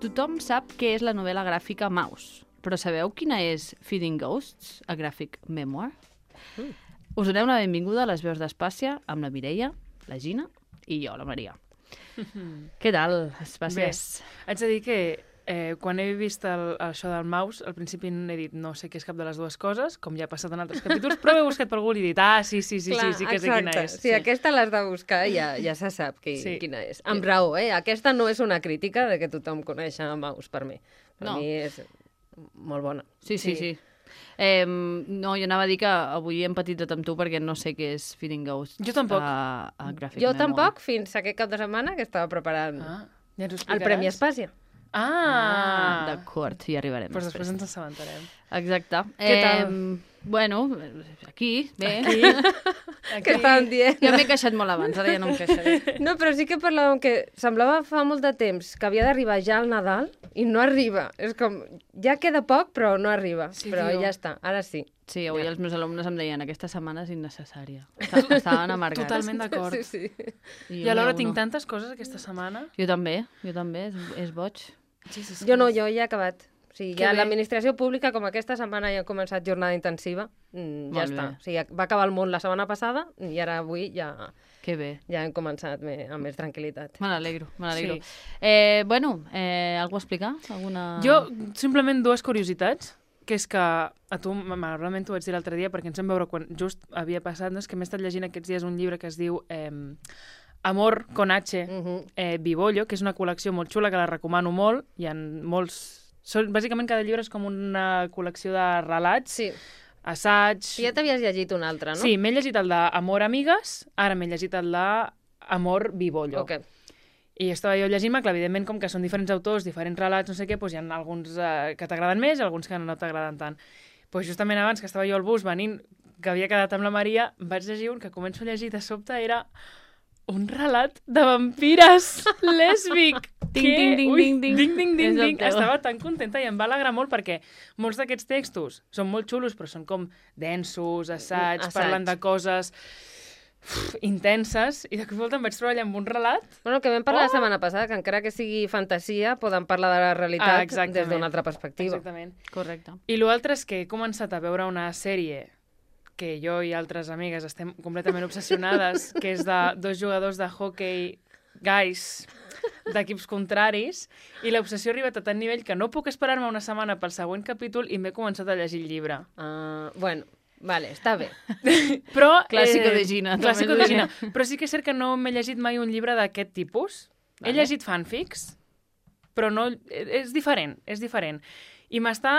Tothom sap què és la novel·la gràfica Maus, però sabeu quina és Feeding Ghosts, a graphic memoir? Us donem la benvinguda a les veus d'Espàcia amb la Mireia, la Gina i jo, la Maria. Què tal, Espàcies? Haig de dir que quan he vist això del Maus, al principi he dit no sé què és cap de les dues coses, com ja ha passat en altres capítols, però he buscat per Google i he dit sí que sé quina és. Sí, aquesta l'has de buscar, ja se sap quina és. Amb raó, aquesta no és una crítica de que tothom coneix a Maus, per mi. Per mi és molt bona. Sí. No, jo anava a dir que avui hem patit tot amb tu perquè no sé què és Feeding Ghosts. Jo tampoc. Jo tampoc, fins aquest cap de setmana que estava preparant el Premi Espàcia. D'acord, hi arribarem. Doncs després ens assabentarem. Exacte. Què tal? Bueno, aquí, bé. Què estàvem dient? Jo m'he queixat molt abans, ara ja no em queixaré. No, però sí que parlàvem que semblava fa molt de temps que havia d'arribar ja al Nadal i no arriba. És com, ja queda poc, però no arriba. Sí, però ja està, ara sí. Sí, avui els meus alumnes em deien aquesta setmana és innecessària. Estaven amargats. Totalment d'acord. Sí. I alhora tinc tantes coses aquesta setmana. Jo també, és boig. Jo no, jo ja he acabat. O sigui, ja l'administració pública, com aquesta setmana ja ha començat jornada intensiva, ja està. O sigui, va acabar el món la setmana passada i ara avui ja... Que bé. Ja hem començat amb més tranquil·litat. Me n'alegro. Sí. Algú a explicar? Jo, simplement dues curiositats, que és que a tu, malauradament t'ho vaig dir l'altre dia, perquè ens vam veure quan just havia passat, que m'he estat llegint aquests dies un llibre que es diu Amor con H, Bibollo, que és una col·lecció molt xula, que la recomano molt. Hi ha molts... Bàsicament cada llibre és com una col·lecció de relats, assaig... Ja t'havies llegit un altre, no? Sí, m'he llegit el d'Amor Amigues, ara m'he llegit el d'Amor Bibollo. Okay. I estava jo llegint-me, clar, evidentment, com que són diferents autors, diferents relats, no sé què, doncs hi ha alguns que t'agraden més i alguns que no t'agraden tant. Doncs justament abans que estava jo al bus venint, que havia quedat amb la Maria, vaig llegir un que començo a llegir de sobte, era un relat de vampires lèsbic. Ding. Estava tan contenta i em va alegrar molt perquè molts d'aquests textos són molt xulos, però són com densos, assaigs, parlen de coses intenses, i de cop i volta em vaig trobar allà amb un relat. Bueno, el que vam parlar la setmana passada, que encara que sigui fantasia, poden parlar de la realitat des d'una altra perspectiva. Exactament. Correcte. I l'altre és que he començat a veure una sèrie que jo i altres amigues estem completament obsessionades, que és de dos jugadors de hockey guys d'equips contraris, i l'obsessió ha arribat a tant nivell que no puc esperar-me una setmana pel següent capítol i m'he començat a llegir el llibre. Bueno, vale, està bé. Però, clàssico de Gina. Clàssico de Gina. Però sí que és cert que no m'he llegit mai un llibre d'aquest tipus. Vale. He llegit fanfics, però no... És diferent. I m'està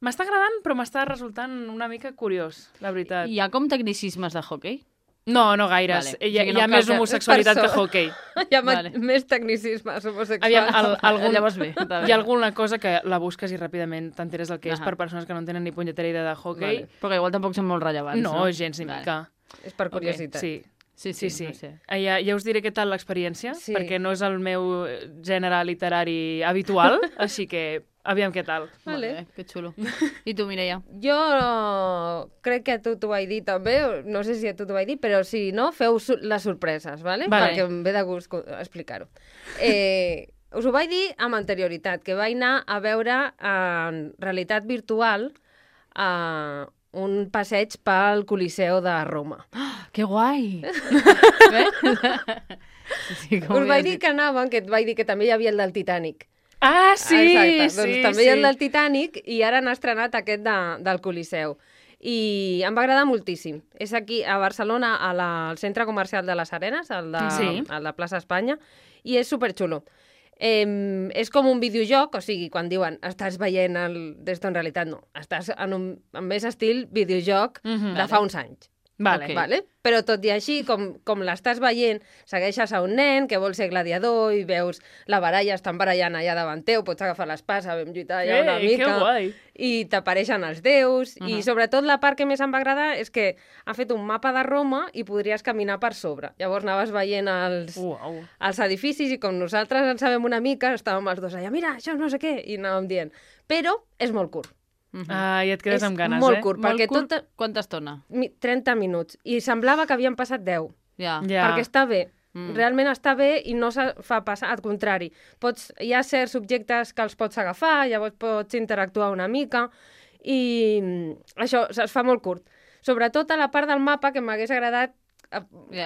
agradant, però m'està resultant una mica curiós, la veritat. Hi ha com tecnicismes de hockey? No gaires. Vale. Hi ha més homosexualitat que hockey. Hi ha més tecnicismes homosexuals. Llavors bé. Hi ha alguna cosa que la busques i ràpidament t'enteres del que és per persones que no tenen ni punyetera idea de hockey. Vale. Però que igual tampoc són molt rellevants, no? No, gens ni mica. És per curiositat. Okay. Sí. No sé. Ja us diré què tal l'experiència, perquè no és el meu gènere literari habitual, així que aviam què tal. Vale. Molt bé, que xulo. I tu, Mireia? Jo crec que a tu t'ho vaig dir també, no sé si a tu t'ho vaig dir, però si no, feu les sorpreses, vale? Perquè em ve de gust explicar-ho. Us ho vaig dir amb anterioritat, que vaig anar a veure en realitat virtual un passeig pel Coliseu de Roma. Que guai! Us vaig dir que anàvem, que et vaig dir que també hi havia el del Titanic. Sí! Exacte. Doncs també hi ha el del Titanic i ara han estrenat aquest del Coliseu. I em va agradar moltíssim. És aquí, a Barcelona, al centre comercial de les Arenes, al de Plaça Espanya, i és superxulo. És com un videojoc, o sigui, quan diuen estàs veient des d'on en realitat no, estàs en més estil videojoc de fa uns anys. Vale. Però tot i així, com l'estàs veient, segueixes a un nen que vol ser gladiador i veus la baralla, estan barallant allà davant teu, pots agafar l'espasa, vam lluitar allà una mica, que guai. I t'apareixen els déus, i sobretot la part que més em va agradar és que ha fet un mapa de Roma i podries caminar per sobre. Llavors anaves veient els edificis i com nosaltres en sabem una mica, estàvem els dos allà, mira, això no sé què, i anàvem dient. Però és molt curt. I et quedes amb ganes, molt curt, perquè molt curt. Quanta estona? 30 minuts. I semblava que havien passat 10. Ja. Perquè està bé. realment està bé i no se fa passar, al contrari. Hi ha certs subjectes que els pots agafar, llavors pots interactuar una mica, i això es fa molt curt. Sobretot a la part del mapa, que m'hagués agradat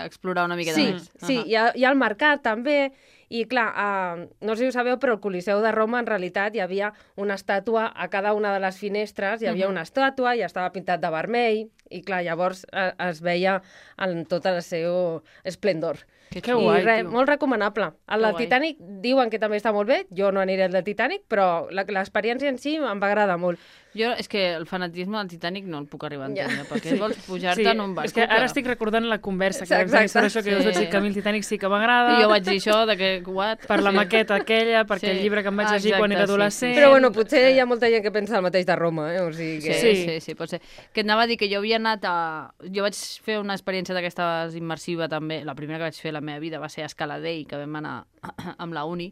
explorar una miqueta més. Sí, hi ha el mercat també, i clar, no sé si ho sabeu, però al Coliseu de Roma en realitat hi havia una estàtua a cada una de les finestres, hi havia una estàtua i estava pintat de vermell, i clar, llavors es veia en tot el seu esplendor. Que guai, tio. Molt recomanable. El del Titanic diuen que també està molt bé, jo no aniré al del Titanic, però l'experiència en si em va agradar molt. Jo, és que el fanatisme del Titanic no el puc arribar a entendre, perquè vols pujar-te en un barco. És que ara estic recordant la conversa que vam tenir sobre això, que us vaig dir que a mi el Titanic sí que m'agrada. I jo vaig dir això, de que, what? Per la maqueta aquella, perquè el llibre que em vaig llegir quan era adolescent... Però bueno, potser hi ha molta gent que pensa el mateix de Roma, O sigui que... Sí, pot ser. Que et anava a dir que jo havia anat a... Jo vaig fer una experiència d'aquestes immersiva també, la primera que vaig fer a la meva vida va ser a Escaladei, que vam anar amb la uni,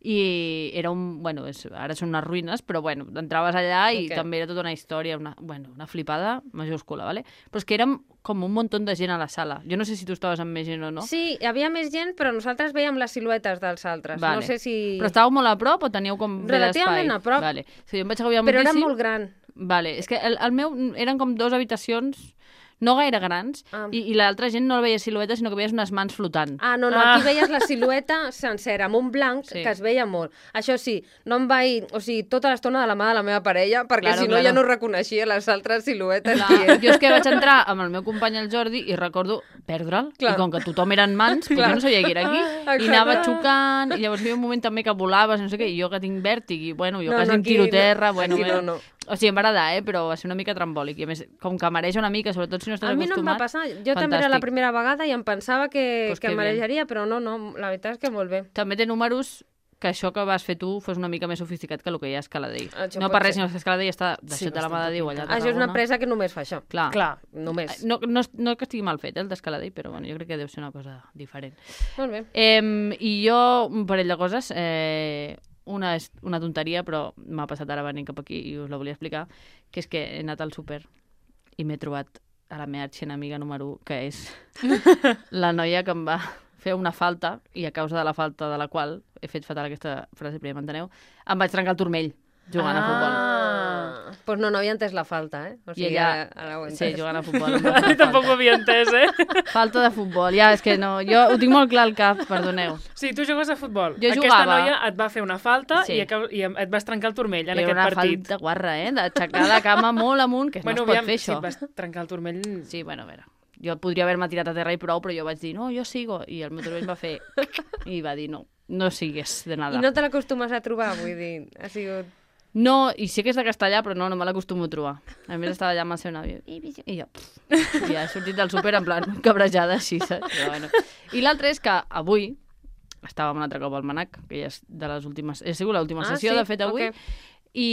i era bueno, ara són unes ruïnes, però bueno, entraves allà i també era tota una història, una flipada majúscula, ¿vale? Però és que érem com un munt de gent a la sala. Jo no sé si tu estaves amb més gent o no. Sí, hi havia més gent, però nosaltres veiem les siluetes dels altres. Vale. No sé si... Però estàveu molt a prop o teníeu com bé d'espai? Relativament a prop. Vale. Sí, jo em vaig agobiar però moltíssim. era molt gran. Vale. És que el meu eren com 2 habitacions no gaire grans, i l'altra gent no veia silueta, sinó que veies unes mans flotant. No, aquí veies la silueta sencera, amb un blanc, que es veia molt. Això sí, no em vaig... O sigui, tota l'estona de la mà de la meva parella, perquè si no ja no reconeixia les altres siluetes. Jo és que vaig entrar amb el meu company, el Jordi, i recordo perdre'l, i com que tothom eren mans, jo no sabia que era aquí, i anava xocant, i llavors hi havia un moment també que volaves, no sé què, i jo que tinc vèrtig, i bueno, jo quasi em tiro terra, bueno... O sigui, em va agradar, però va ser una mica trambòlic. I a més, com que mareja una mica, sobretot si no estàs acostumat... A mi no em va passar. Jo també era la primera vegada i em pensava que em marejaria, però no, la veritat és que molt bé. També té números que això que vas fer tu fos una mica més sofisticat que el que hi ha a Escaladei. No per res, sinó que Escaladei està deixat de la mà de Déu allà a Tarragona. Això és una empresa que només fa això. Clar. Només. No que estigui mal fet, el d'Escaladei, però bueno, jo crec que deu ser una cosa diferent. Molt bé. I jo, un parell de coses... Una és una tonteria, però m'ha passat ara venint cap aquí i us la volia explicar, que és que he anat al súper i m'he trobat a la meva arxienemiga número 1, que és la noia que em va fer una falta, i a causa de la falta de la qual he fet fatal aquesta frase, però ja m'enteneu, em vaig trencar el turmell jugant a futbol. Pues no havia entès la falta, O sigui, ara ho he entès. Sí, jugant a futbol. Tampoc ho havia entès, Falta de futbol, ja, és que no, jo ho tinc molt clar al cap, perdoneu. Sí, tu jugues a futbol. Jo Aquesta jugava. noia et va fer una falta i et vas trencar el turmell en aquest partit. Era una falta guarra, d'aixecar la cama molt amunt, que no es pot fer això. Si et vas trencar el turmell... Sí, bueno, a veure, jo podria haver-me tirat a terra i prou, però jo vaig dir, no, jo sigo, i el meu turmell va fer... i va dir, no sigues de nada. I no te l'acostumes a trobar, vull dir, ha sigut... No, i sí que és de castellà, però no me l'acostumo a trobar. A més, estava allà amb el seu nòvio. I jo, ja he sortit del súper en plan cabrejada, així, saps? Però, bueno. I l'altre és que avui, estàvem un altre cop al Manac, que ja és de les últimes... Ha sigut l'última sessió, de fet, avui, i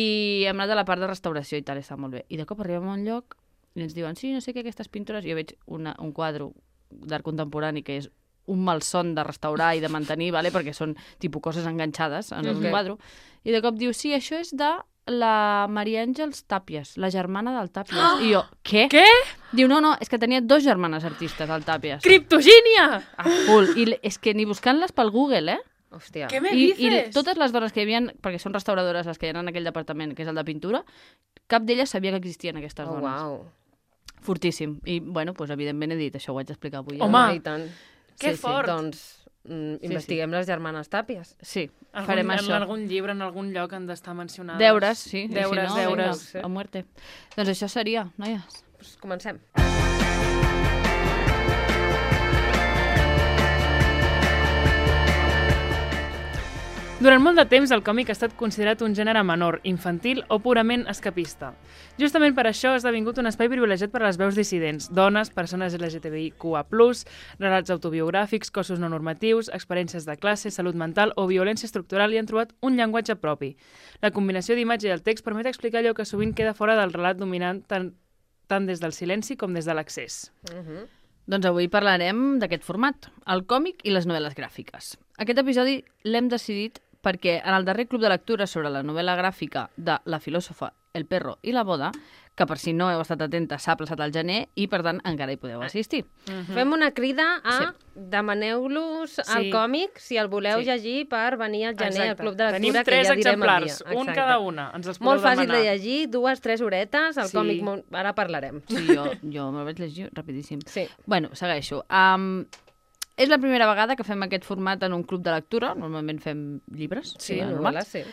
hem anat a la part de restauració i tal, està molt bé. I de cop arribem a un lloc i ens diuen, sí, no sé què, aquestes pintures... Jo veig un quadre d'art contemporani que és un malson de restaurar i de mantenir, vale? Perquè són tipus coses enganxades en un quadre, i de cop diu, sí, això és de la Maria Àngels Tàpies, la germana del Tàpies. Oh! I jo, què? Què? Diu, no, és que tenia 2 germanes artistes, al Tàpies. Criptogínia! Full. I és que ni buscant-les pel Google, Hòstia. Què me dices? I totes les dones que hi havia, perquè són restauradores les que hi ha en aquell departament, que és el de pintura, cap d'elles sabia que existien aquestes dones. Uau. Fortíssim. I, bueno, doncs, evidentment he dit, això ho haig d'explicar avui. Home! I tant. Que fort! Doncs investiguem les germanes Tàpies. Sí, farem això. En algun llibre, en algun lloc han d'estar mencionades. Deures, sí. Deures. A muerte. Doncs això seria, noies. Pues comencem. Durant molt de temps, el còmic ha estat considerat un gènere menor, infantil o purament escapista. Justament per això ha esdevingut un espai privilegiat per a les veus dissidents, dones, persones LGTBIQA+, relats autobiogràfics, cossos no normatius, experiències de classe, salut mental o violència estructural i han trobat un llenguatge propi. La combinació d'imatge i el text permet explicar allò que sovint queda fora del relat dominant tant des del silenci com des de l'accés. Doncs avui parlarem d'aquest format, el còmic i les novel·les gràfiques. Aquest episodi l'hem decidit perquè en el darrer club de lectura sobre la novel·la gràfica de la filòsofa El perro i la boda, que per si no heu estat atenta s'ha plaçat al gener i, per tant, encara hi podeu assistir. Fem una crida a demaneu-los al còmic si el voleu llegir per venir al gener al Club de Lectura, que ja direm el dia. Tenim 3 exemplars, un cada una, ens els podeu molt fàcil demanar. de llegir, 2-3 horetes, el còmic ara parlarem. Sí, jo me'l vaig llegir rapidíssim. Sí. Bueno, segueixo. És la primera vegada que fem aquest format en un club de lectura, normalment fem llibres. Sí, novel·les, sí.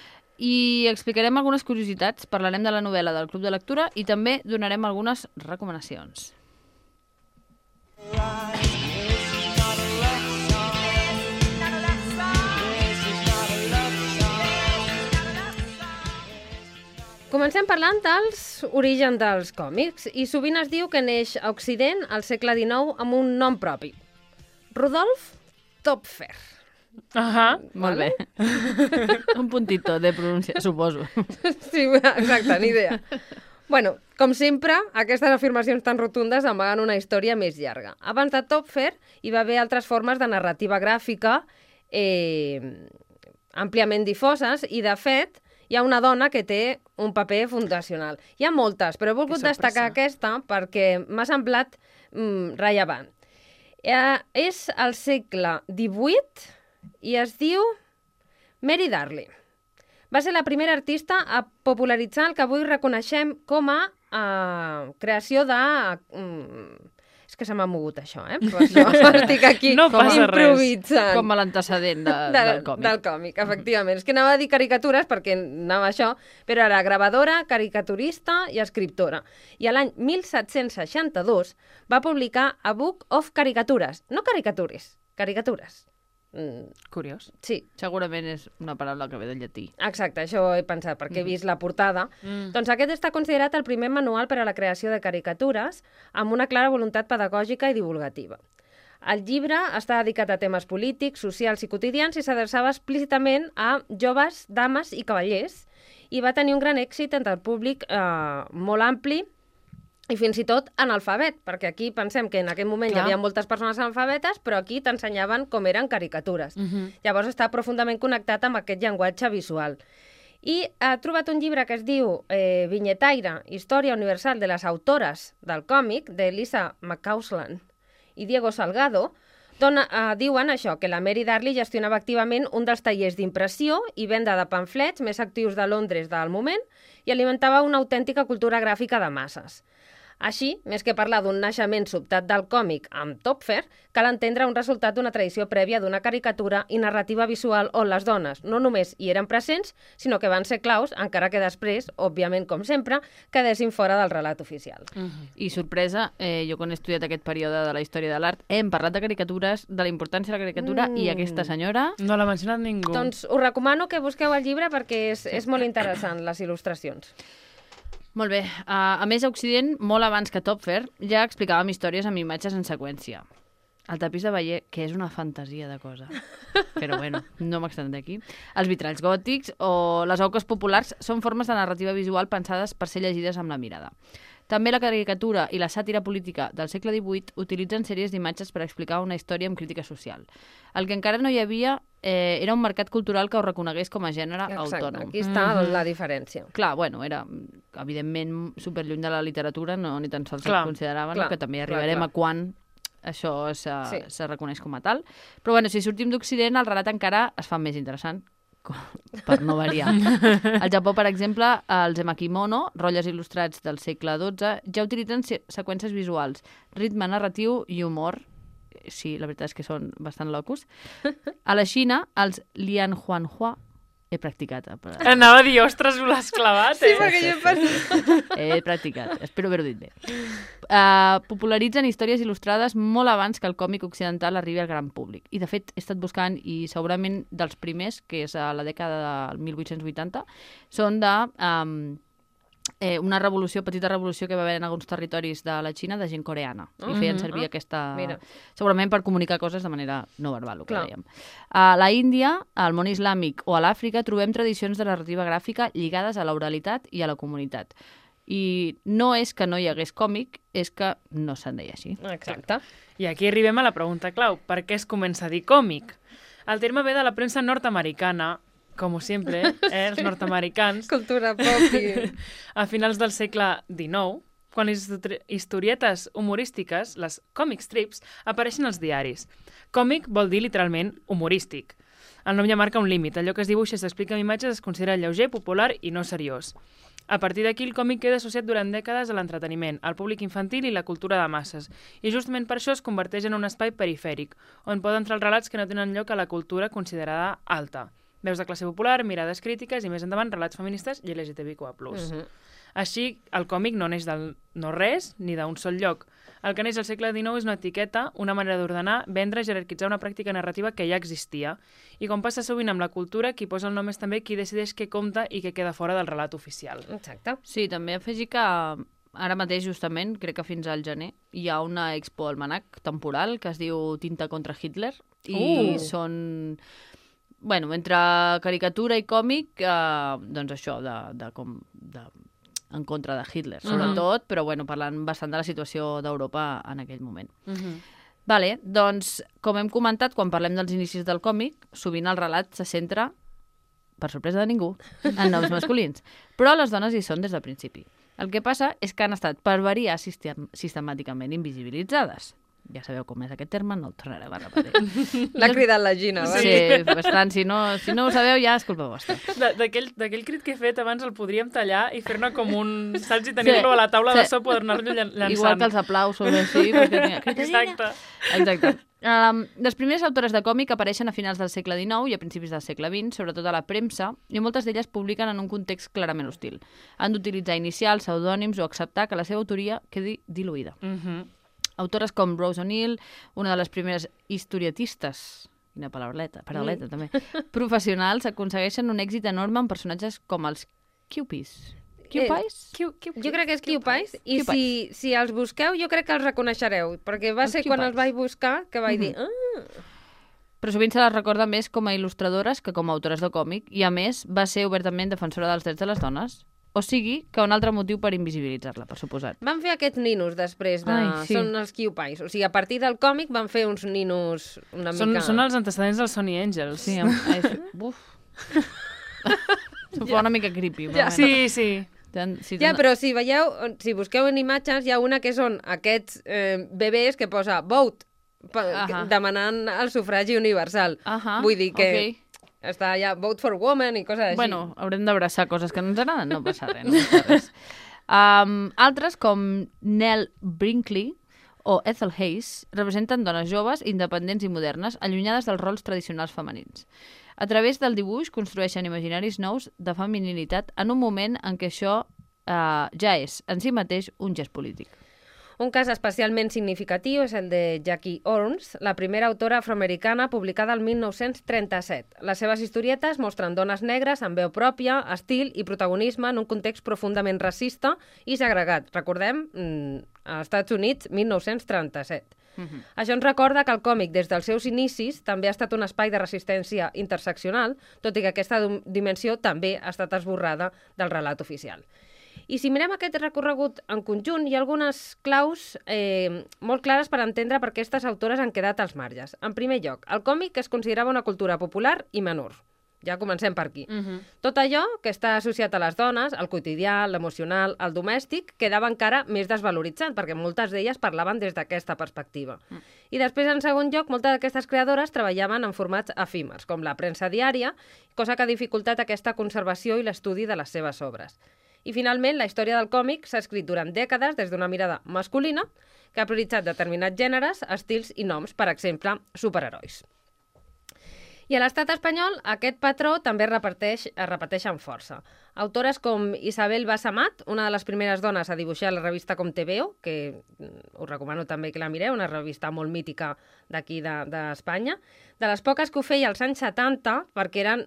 I explicarem algunes curiositats, parlarem de la novel·la del Club de Lectura i també donarem algunes recomanacions. Comencem parlant dels orígens dels còmics i sovint es diu que neix a Occident al segle XIX amb un nom propi. Rudolf Topfer. Molt bé. Un puntito de pronunciació, suposo. Sí, exacte, ni idea. Bueno, com sempre, aquestes afirmacions tan rotundes amaguen una història més llarga. Abans de Topfer hi va haver altres formes de narrativa gràfica àmpliament difoses i, de fet, hi ha una dona que té un paper fundacional. Hi ha moltes, però he volgut destacar aquesta perquè m'ha semblat rellevant. És al segle XVIII i es diu Mary Darling. Va ser la primera artista a popularitzar el que avui reconeixem com a creació de... És que se m'ha mogut això, Per això estic aquí improvisant. Com a l'antecedent del còmic. Del còmic, efectivament. És que anava a dir caricatures perquè anava això, però era gravadora, caricaturista i escriptora. I l'any 1762 va publicar A Book of Caricatures. No caricatures, caricatures. Curiós. Sí. Segurament és una paraula que ve del llatí. Exacte, això he pensat, perquè he vist la portada. Doncs aquest està considerat el primer manual per a la creació de caricatures amb una clara voluntat pedagògica i divulgativa. El llibre està dedicat a temes polítics, socials i quotidians i s'adreçava explícitament a joves, dames i cavallers i va tenir un gran èxit entre el públic molt ampli i fins i tot analfabet, perquè aquí pensem que en aquell moment hi havia moltes persones analfabetes, però aquí t'ensenyaven com eren caricatures. Llavors està profundament connectat amb aquest llenguatge visual. I ha trobat un llibre que es diu Vinyetaire, Història Universal de les Autores del Còmic, d'Elisa McCausland i Diego Salgado, d'on diuen això, que la Mary Darling gestionava activament un dels tallers d'impressió i venda de pamflets més actius de Londres del moment i alimentava una autèntica cultura gràfica de masses. Així, més que parlar d'un naixement sobtat del còmic amb Topfer, cal entendre un resultat d'una tradició prèvia d'una caricatura i narrativa visual on les dones no només hi eren presents, sinó que van ser claus, encara que després, òbviament com sempre, quedessin fora del relat oficial. I sorpresa, jo quan he estudiat aquest període de la història de l'art hem parlat de caricatures, de la importància de la caricatura i aquesta senyora... No l'ha mencionat ningú. Doncs us recomano que busqueu el llibre perquè és molt interessant, les il·lustracions. Molt bé. A més, a Occident, molt abans que Topfer, ja explicàvem històries amb imatges en seqüència. El tapís de Bayer, que és una fantasia de cosa. Però bueno, no m'extendré aquí. Els vitralls gòtics o les auques populars són formes de narrativa visual pensades per ser llegides amb la mirada. També la caricatura i la sàtira política del segle XVIII utilitzen sèries d'imatges per explicar una història amb crítica social. El que encara no hi havia era un mercat cultural que ho reconegués com a gènere autònom. Aquí està la diferència. Clar, bueno, era evidentment superlluny de la literatura, no ni tan sols es considerava, que també arribarem a quan això se reconeix com a tal. Però bueno, si sortim d'Occident, el relat encara es fa més interessant, per no variar. Al Japó, per exemple, els emakimono, rotlles il·lustrats del segle XII, ja utilitzen seqüències visuals, ritme narratiu i humor. Sí, la veritat és que són bastant locos. A la Xina, els lianhuanhua, he practicat. Anava a dir, ostres, ho l'has clavat, Sí, perquè jo he pensat... He practicat, espero haver-ho dit bé. Popularitzen històries il·lustrades molt abans que el còmic occidental arribi al gran públic. I, de fet, he estat buscant, i segurament dels primers, que és a la dècada del 1880, són de... una petita revolució que va haver en alguns territoris de la Xina de gent coreana. I feien servir aquesta... Segurament per comunicar coses de manera no verbal, el que dèiem. A la Índia, al món islàmic o a l'Àfrica trobem tradicions de narrativa gràfica lligades a l'oralitat i a la comunitat. I no és que no hi hagués còmic, és que no se'n deia així. Exacte. I aquí arribem a la pregunta clau. Per què es comença a dir còmic? El terme ve de la premsa nord-americana, com sempre, els nord-americans, Cultura pop i... a finals del segle XIX, quan les historietes humorístiques, les comic strips, apareixen als diaris. Còmic vol dir literalment humorístic. El nom ja marca un límit. Allò que es dibuixa i s'explica amb imatges es considera lleuger, popular i no seriós. A partir d'aquí, el còmic queda associat durant dècades a l'entreteniment, al públic infantil i la cultura de masses, i justament per això es converteix en un espai perifèric, on poden entrar els relats que no tenen lloc a la cultura considerada alta. Veus de classe popular, mirades crítiques i més endavant relats feministes i LGTBIQ+. Així, el còmic no neix del no-res ni d'un sol lloc. El que neix al segle XIX és una etiqueta, una manera d'ordenar, vendre i jerarquitzar una pràctica narrativa que ja existia. I com passa sovint amb la cultura, qui posa el nom és també qui decideix què compta i què queda fora del relat oficial. Exacte. Sí, també afegir que ara mateix, justament, crec que fins al gener, hi ha una expo almanac temporal que es diu Tinta contra Hitler i són... Bueno, entre caricatura i còmic, doncs això, en contra de Hitler, sobretot, però bueno, parlant bastant de la situació d'Europa en aquell moment. Vale, doncs, com hem comentat, quan parlem dels inicis del còmic, sovint el relat se centra, per sorpresa de ningú, en noms masculins. Però les dones hi són des del principi. El que passa és que han estat, per variar, sistemàticament invisibilitzades. Ja sabeu com és aquest terme, no el tornarem a repetir. L'ha cridat la Gina, va? Sí, bastant. Si no ho sabeu, ja és culpa vostra. D'aquell crit que he fet abans el podríem tallar i fer-ne com un... Saps? I tenir-lo a la taula de so, poder-nos-lo llançant. Igual que els aplausos, així. Exacte. Exacte. Les primeres autores de còmic apareixen a finals del segle XIX i a principis del segle XX, sobretot a la premsa, i moltes d'elles publiquen en un context clarament hostil. Han d'utilitzar inicials, pseudònims o acceptar que la seva autoria quedi diluïda. Autores com Rose O'Neill, una de les primeres historietistes, quina paral·leta també, professionals, aconsegueixen un èxit enorme amb personatges com els Cupies. Cupies? Jo crec que és Cupies, i si els busqueu jo crec que els reconeixereu, perquè va ser quan els vaig buscar que vaig dir... Però sovint se les recorda més com a il·lustradores que com a autores de còmic, i a més va ser obertament defensora dels drets de les dones. O sigui, que un altre motiu per invisibilitzar-la, per suposat. Van fer aquests ninos després de... Sí. Són els Cupies. O sigui, a partir del còmic van fer uns ninos una mica... Són els antecedents dels Sonny Angels. Sí, buf. S'ho fa una mica creepy. Sí. Ja, però si veieu, si busqueu en imatges, hi ha una que són aquests bebès que posa vote, demanant el sufragi universal. Vull dir que... Està ja vote for women i coses així. Bueno, haurem d'abraçar coses que no ens agraden, no passa res. Altres, com Nell Brinkley o Ethel Hayes, representen dones joves, independents i modernes, allunyades dels rols tradicionals femenins. A través del dibuix construeixen imaginaris nous de femininitat en un moment en què això ja és, en si mateix, un gest polític. Un cas especialment significatiu és el de Jackie Orns, la primera autora afroamericana publicada el 1937. Les seves historietes mostren dones negres amb veu pròpia, estil i protagonisme en un context profundament racista i segregat. Recordem, als Estats Units, 1937. Això ens recorda que el còmic, des dels seus inicis, també ha estat un espai de resistència interseccional, tot i que aquesta dimensió també ha estat esborrada del relat oficial. I si mirem aquest recorregut en conjunt, hi ha algunes claus molt clares per entendre per què aquestes autores han quedat als marges. En primer lloc, el còmic es considerava una cultura popular i menor. Ja comencem per aquí. Tot allò que està associat a les dones, el quotidià, l'emocional, el domèstic, quedava encara més desvaloritzat, perquè moltes d'elles parlaven des d'aquesta perspectiva. I després, en segon lloc, moltes d'aquestes creadores treballaven en formats efímers, com la premsa diària, cosa que ha dificultat aquesta conservació i l'estudi de les seves obres. I finalment, la història del còmic s'ha escrit durant dècades des d'una mirada masculina que ha prioritzat determinats gèneres, estils i noms, per exemple, superherois. I a l'estat espanyol aquest patró també es repeteix amb força. Autores com Isabel Bassamat, una de les primeres dones a dibuixar la revista Com Te Veo, que us recomano també que la mireu, una revista molt mítica d'aquí d'Espanya, de les poques que ho feia als anys 70, perquè eren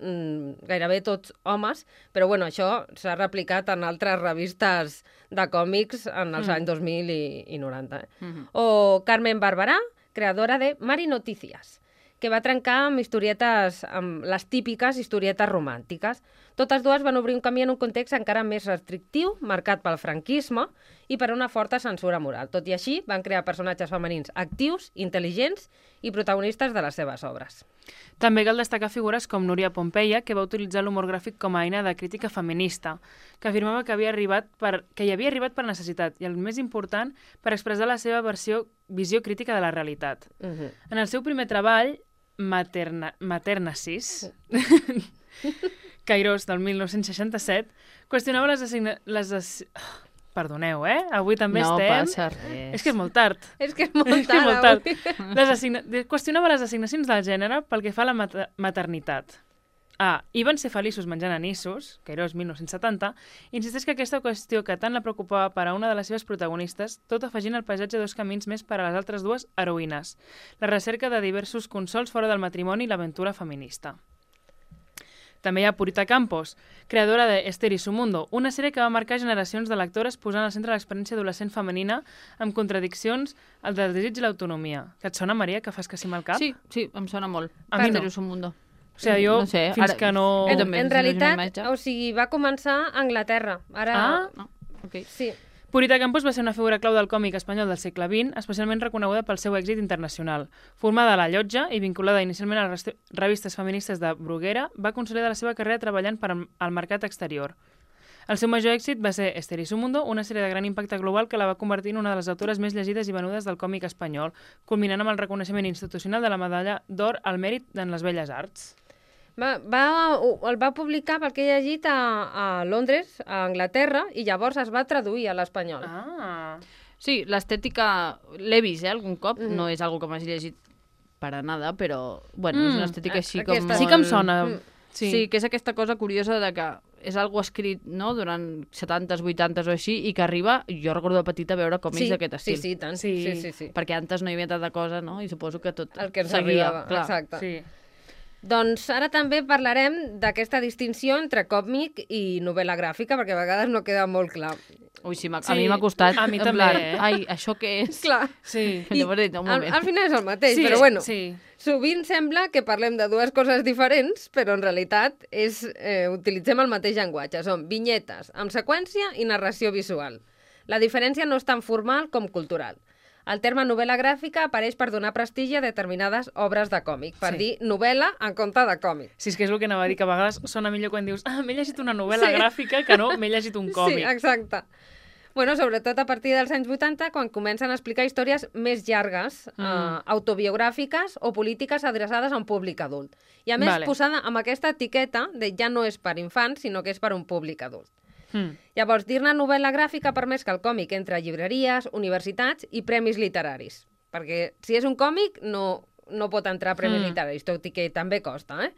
gairebé tots homes, però bueno, això s'ha replicat en altres revistes de còmics en els anys 2000 i 90. O Carmen Barberà, creadora de Mari Noticias, que va trencar amb les típiques historietes romàntiques. Totes dues van obrir un camí en un context encara més restrictiu, marcat pel franquisme i per una forta censura moral. Tot i així, van crear personatges femenins actius, intel·ligents i protagonistes de les seves obres. També cal destacar figures com Núria Pompeia, que va utilitzar l'humor gràfic com a eina de crítica feminista, que afirmava que hi havia arribat per necessitat i, el més important, per expressar la seva visió crítica de la realitat. En el seu primer treball, Maternacis, Cairós, del 1967, qüestionava Perdoneu, avui també estem... No passa res. És que és molt tard. És que és molt tard, avui. Qüestionava les assignacions del gènere pel que fa a la maternitat. I van ser feliços menjant anissos, Cairós 1970, insisteix que aquesta qüestió que tant la preocupava per a una de les seves protagonistes, tot afegint el paisatge dos camins més per a les altres dues heroïnes, la recerca de diversos consols fora del matrimoni i l'aventura feminista. També hi ha Purita Campos, creadora de Esther i su mundo, una sèrie que va marcar generacions de lectores posant al centre l'experiència adolescent femenina amb contradiccions al del desig i l'autonomia. Que et sona, Maria, que fas que sí amb el cap? Sí, em sona molt. A mi no. Esther i su mundo. O sigui, jo, no sé, fins ara, que no... En realitat, o sigui, va començar a Anglaterra. Ara... Okay. Sí. Purita Campos va ser una figura clau del còmic espanyol del segle XX, especialment reconeguda pel seu èxit internacional. Formada a la Llotja i vinculada inicialment a les revistes feministes de Bruguera, va consolidar la seva carrera treballant per al mercat exterior. El seu major èxit va ser Esther i su mundo, una sèrie de gran impacte global que la va convertir en una de les autores més llegides i venudes del còmic espanyol, culminant amb el reconeixement institucional de la medalla d'or al mèrit en les belles arts. El va publicar, pel que he llegit, a Londres, a Anglaterra, i llavors es va traduir a l'espanyol. Sí, l'estètica l'he vist, algun cop. No és algo que m'hagi llegit per a nada, però, bueno, és una estètica així com molt... Sí que em sona. Sí, que és aquesta cosa curiosa de que és algo escrit, no?, durant 70s, 80s o així, i que arriba, jo recordo de petita veure còmics d'aquest estil. Sí, tant. Sí. Perquè antes no hi havia tanta cosa, no?, i suposo que tot el que ens seguia. arribava, clar. Exacte. Sí. Doncs ara també parlarem d'aquesta distinció entre còmic i novel·la gràfica, perquè a vegades no queda molt clar. Ui, sí, a mi m'ha costat. A mi també, Ai, això què és? Clar. Sí. Al final és el mateix, però bueno. Sí. Sovint sembla que parlem de dues coses diferents, però en realitat utilitzem el mateix llenguatge. Són vinyetes amb seqüència i narració visual. La diferència no és tan formal com cultural. El terme novel·la gràfica apareix per donar prestigi a determinades obres de còmic, per dir novel·la en compte de còmic. Sí, és que és el que anava a dir, que a vegades sona millor quan dius m'he llegit una novel·la gràfica que no m'he llegit un còmic. Sí, exacte. Bueno, sobretot a partir dels anys 80, quan comencen a explicar històries més llargues, autobiogràfiques o polítiques adreçades a un públic adult. I a més, posada amb aquesta etiqueta de ja no és per infants, sinó que és per un públic adult. Llavors, dir-ne novel·la gràfica ha permès que el còmic entre a llibreries, universitats i premis literaris. Perquè si és un còmic no pot entrar a premis literaris, tot i que també costa,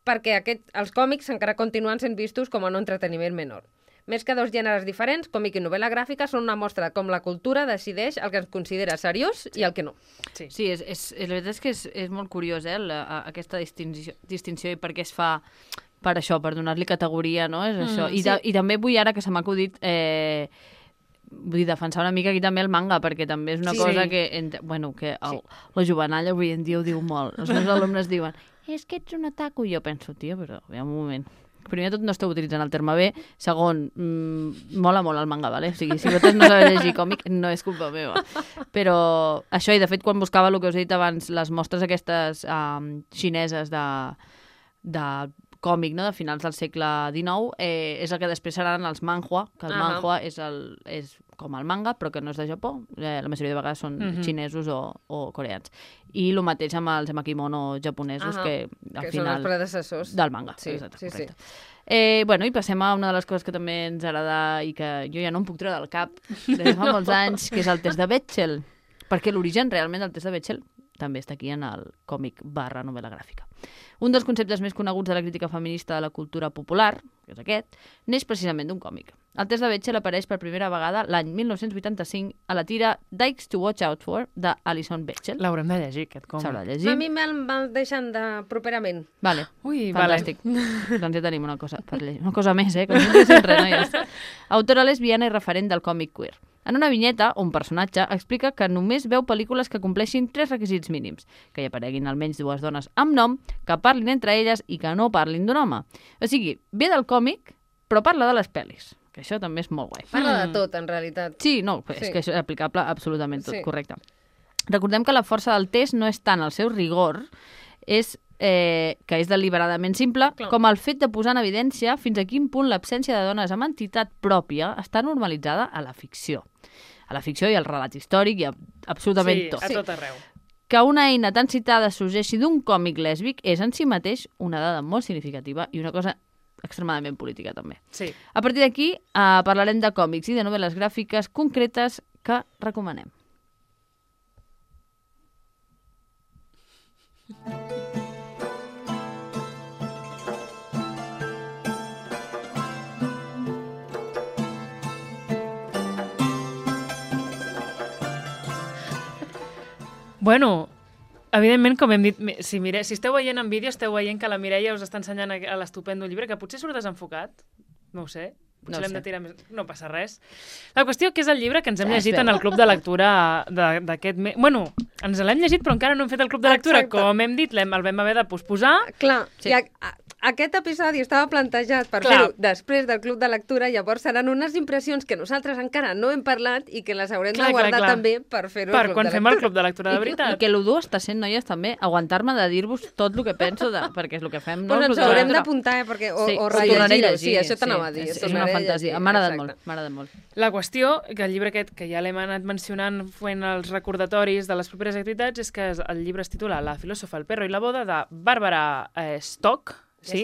perquè els còmics encara continuen sent vistos com a un entreteniment menor. Més que dos gèneres diferents, còmic i novel·la gràfica són una mostra de com la cultura decideix el que es considera seriós i el que no. Sí, la veritat és que és molt curiós, aquesta distinció i per què es fa... per això, per donar-li categoria, no? És això. I també vull, ara que se m'ha acudit, vull defensar una mica aquí també el manga, perquè també és una cosa que la jovenalla avui en dia ho diu molt. Els meus alumnes diuen, és que ets un otaku. I jo penso, tia, però un moment. Primer de tot no esteu utilitzant el terme bé. Segon, mola molt el manga, vale? O sigui, si vosaltres no sabeu llegir còmic, no és culpa meva. Però això, i de fet, quan buscava el que us he dit abans, les mostres aquestes xineses de còmic, no?, de finals del segle XIX, és el que després seran els manhua, que el manhua és com el manga, però que no és de Japó. La majoria de vegades són xinesos o coreans. I el mateix amb els emakimono japonesos, que al final... són els predecessors. Del manga. Sí. I passem a una de les coses que també ens agrada i que jo ja no em puc treure del cap des de fa molts anys, que és el test de Bechdel. Perquè l'origen realment del test de Bechdel també està aquí en el còmic / novel·la gràfica. Un dels conceptes més coneguts de la crítica feminista de la cultura popular, que és aquest, neix precisament d'un còmic. El test de Bechdel apareix per primera vegada l'any 1985 a la tira Dykes to Watch Out For, d'Alison Bechdel. L'haurem de llegir, aquest còmic. S'haurà de llegir. A mi me'l deixen de properament. Vale, fantàstic. Vale. Doncs ja tenim una cosa per llegir. Una cosa més, que no llegeixen res, noies. Autora lesbiana i referent del còmic queer. En una vinyeta, un personatge explica que només veu pel·lícules que compleixin 3 requisits mínims, que hi apareguin almenys 2 dones amb nom, que parlin entre elles i que no parlin d'un home. O sigui, ve del còmic, però parla de les pel·lis, que això també és molt guai. Parla de tot, en realitat. Sí, és que això és aplicable absolutament tot, correcte. Recordem que la força del test no és tant el seu rigor, és que és deliberadament simple, com el fet de posar en evidència fins a quin punt l'absència de dones amb entitat pròpia està normalitzada a la ficció. A la ficció i al relat històric i absolutament tot. Sí, a tot arreu. Que una eina tan citada sorgeixi d'un còmic lèsbic és en si mateix una dada molt significativa i una cosa extremadament política, també. Sí. A partir d'aquí, parlarem de còmics i de novel·les gràfiques concretes que recomanem. Bueno, evidentment, com hem dit, si esteu veient en vídeo, esteu veient que la Mireia us està ensenyant l'estupendo llibre, que potser surt desenfocat, no ho sé, potser l'hem de tirar més... No passa res. La qüestió que és el llibre que ens hem llegit en el club de lectura d'aquest mes. Bueno, ens l'hem llegit, però encara no hem fet el club de lectura. Exacte. Com hem dit, el vam haver de posposar. Clar, sí. Aquest episodi estava plantejat per fer-ho després del club de lectura, llavors seran unes impressions que nosaltres encara no hem parlat i que les haurem de guardar també per fer-ho al club de lectura. Per quan fem el club de lectura de veritat. I que el dur està sent, noies, també, aguantar-me de dir-vos tot el que penso, perquè és el que fem. Pues ens haurem d'apuntar, perquè o rellegir-ho. Sí, això t'anava a dir. És una fantasia. M'ha agradat molt. La qüestió, que el llibre aquest, que ja l'hem anat mencionant fent els recordatoris de les properes activitats, és que el llibre es titula La filòsofa, el perro i la boda, de Bàrbara Stock, sí?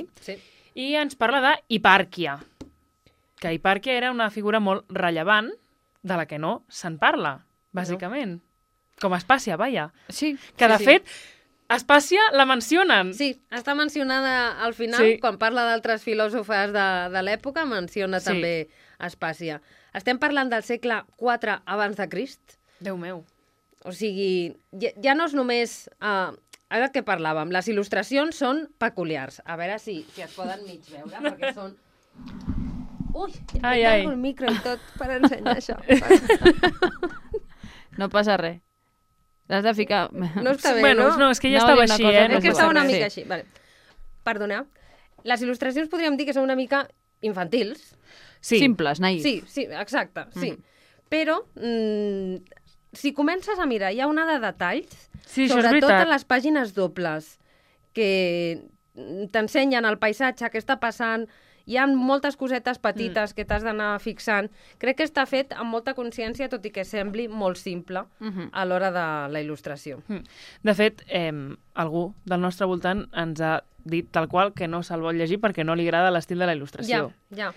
I ens parla d'Hipàrquia, que Hipàrquia era una figura molt rellevant de la que no se'n parla, bàsicament. Com Aspàcia, vaja. Sí. Que, de fet, Aspàcia la mencionen. Sí, està mencionada al final, quan parla d'altres filòsofes de l'època, menciona també Aspàcia. Estem parlant del segle IV abans de Crist. Déu meu. O sigui, ja no és només... Ara que parlàvem, les il·lustracions són peculiars. A veure si es poden mig veure, perquè són... Ui, tengo el micro i tot per ensenyar això. No passa res. L'has de ficar... No està bé, no? No, és que ja estava així, És que estava una mica així. Vale. Perdoneu. Les il·lustracions podríem dir que són una mica infantils. Sí. Simples, naïfs. Sí, exacte, sí. Però... si comences a mirar, hi ha una de detalls, sobretot en les pàgines dobles, que t'ensenyen el paisatge que està passant, hi ha moltes cosetes petites que t'has d'anar fixant. Crec que està fet amb molta consciència, tot i que sembli molt simple a l'hora de la il·lustració. De fet, algú del nostre voltant ens ha dit tal qual que no se'l vol llegir perquè no li agrada l'estil de la il·lustració. Ja.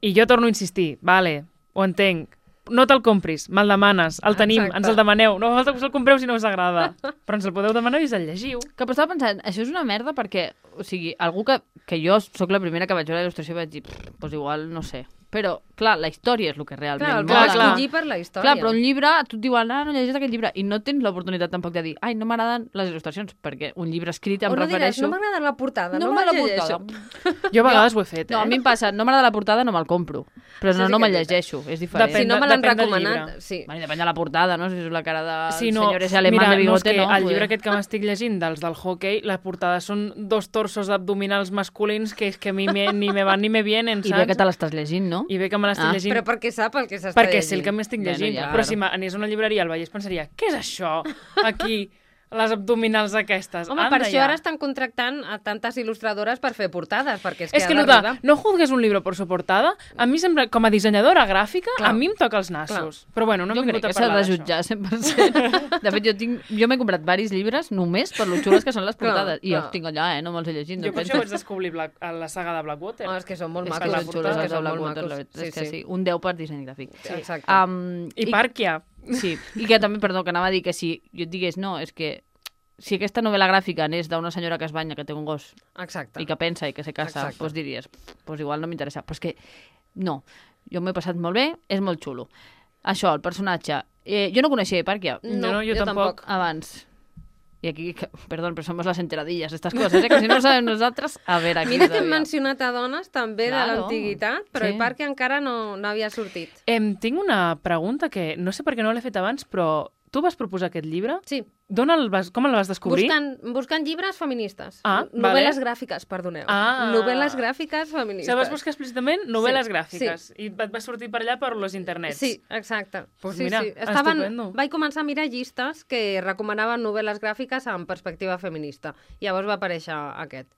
I jo torno a insistir, vale, ho entenc, no te'l compris, me'l demanes, el tenim, ens el demaneu, no fa falta que us el compreu si no us agrada, però ens el podeu demanar i us el llegiu. Que estava pensant, això és una merda perquè, o sigui, algú que jo sóc la primera que vaig veure la il·lustració i vaig dir, doncs igual, no sé. Però, clar, la història és el que realment mola. Clar, escollir per la història. Clar, però un llibre, tu et diuen, no llegeix aquest llibre, i no tens l'oportunitat tampoc de dir, no m'agraden les il·lustracions, perquè un llibre escrit em refereixo... no m'agrada la portada, no me'l llegeixo. Jo a vegades ho he fet, No, a mi em passa, no m'agrada la portada, no me'l compro. Però no me'l llegeixo, és diferent. Si no me l'han recomanat, sí. Depèn de la portada, no? Si és la cara de senyores alemán de bigote, no. El llibre aquest que m'estic llegint, dels del hockey, la portada són 2 torsos abdominals masculins que és que a mi ni me van ni me vienen, saps? I bé que te l'estàs llegint, no? I bé que me l'estic llegint. Però perquè sap el que s'està llegint. Perquè sé el que m'estic llegint. Però si anés a una llibreria al Vallès pensaria, què és això aquí? Les abdominals aquestes. Home, per això ara estan contractant a tantes il·lustradores per fer portades, perquè és que no juzgues un llibre per su portada, a mi sembla, com a dissenyadora gràfica, a mi em toca els nassos. Però bueno, no hem vingut a parlar d'això. Jo crec que s'ha de jutjar 100%. De fet, jo m'he comprat varis llibres només per lo xules que són les portades. I els tinc allà, no me'ls he llegit. Jo per això vaig descobrir la saga de Blackwater. És que són molt macos. Les xules que són molt macos. És que sí, un 10 per disseny gràfic. Exacte. Hipàrquia. Sí, i que també, perdó, que anava a dir que si jo et digués, no, és que si aquesta novel·la gràfica anés d'una senyora que es banya, que té un gos, i que pensa i que se casa, doncs diries, doncs igual no m'interessa. Però és que no, jo m'he passat molt bé, és molt xulo. Això, el personatge. Jo no coneixia Hipàrquia. No, jo tampoc. Abans. I aquí, perdó, però som les enteradilles, aquestes coses, que si no ho sabem nosaltres, a veure aquí. Mira que hem mencionat a dones també de l'antiguitat, però Hipàrquia encara no havia sortit. Tinc una pregunta que no sé per què no l'he fet abans, però tu vas proposar aquest llibre? Sí. Com el vas descobrir? Buscant llibres feministes. Novel·les gràfiques, perdoneu. Novel·les gràfiques feministes. Vas buscar explícitament novel·les gràfiques. I et va sortir per allà per los internets. Sí, exacte. Pues mira, estupendo. Vaig començar a mirar llistes que recomanaven novel·les gràfiques amb perspectiva feminista. Llavors va aparèixer aquest.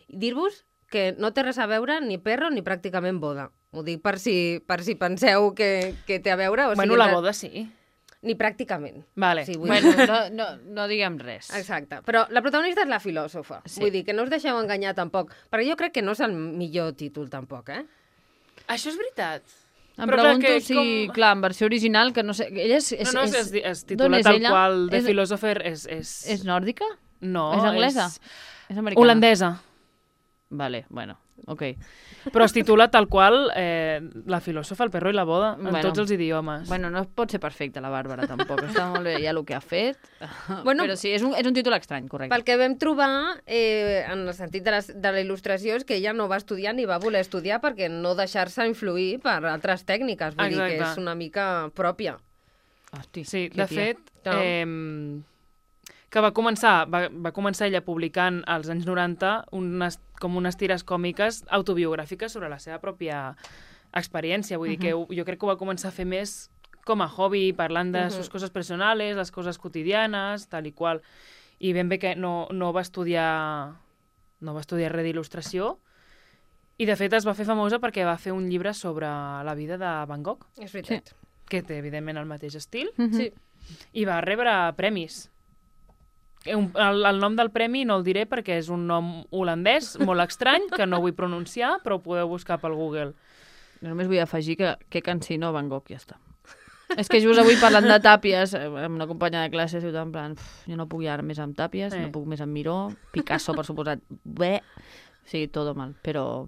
Dir-vos que no té res a veure ni perro ni pràcticament boda. Ho dic per si penseu que té a veure. Bueno, la boda sí. Ni pràcticament. Vale. Sí, bueno, no diguem res. Exacte. Però la protagonista és la filòsofa. Sí. Vull dir, que no us deixeu enganyar tampoc. Perquè jo crec que no és el millor títol tampoc, Això és veritat. Em pregunto si, clar, en versió original, que no sé... Ella és titula tal qual de Philosopher és nòrdica? No. És anglesa? És americana? Holandesa. Vale, bueno, ok. Però es titula tal qual La filòsofa, el perro i la boda, en tots els idiomes. Bueno, no pot ser perfecta la Bàrbara, tampoc. Està molt bé ja el que ha fet. Bueno, però sí, és un títol estrany, correcte. Pel que vam trobar, en el sentit de la il·lustració, és que ella no va estudiar ni va voler estudiar perquè no deixar-se influir per altres tècniques. Vull dir que és una mica pròpia. Hosti, sí, de fet... que va començar ella publicant als anys 90 com unes tires còmiques autobiogràfiques sobre la seva pròpia experiència. Vull dir que jo crec que ho va començar a fer més com a hobby, parlant de sus coses personales, les coses quotidianes, tal i qual. I ben bé que no va estudiar res d'il·lustració. I, de fet, es va fer famosa perquè va fer un llibre sobre la vida de Van Gogh. És veritat. Que té, evidentment, el mateix estil. Sí. I va rebre premis. El nom del premi no el diré perquè és un nom holandès molt estrany, que no vull pronunciar, però ho podeu buscar pel Google. Jo només vull afegir que cansino Van Gogh, ja està. És que just avui parlant de tàpies, amb una companya de classes, i en plan, jo no puc ja més amb tàpies, no puc més amb Miró, Picasso, per suposat, sí, tot mal, però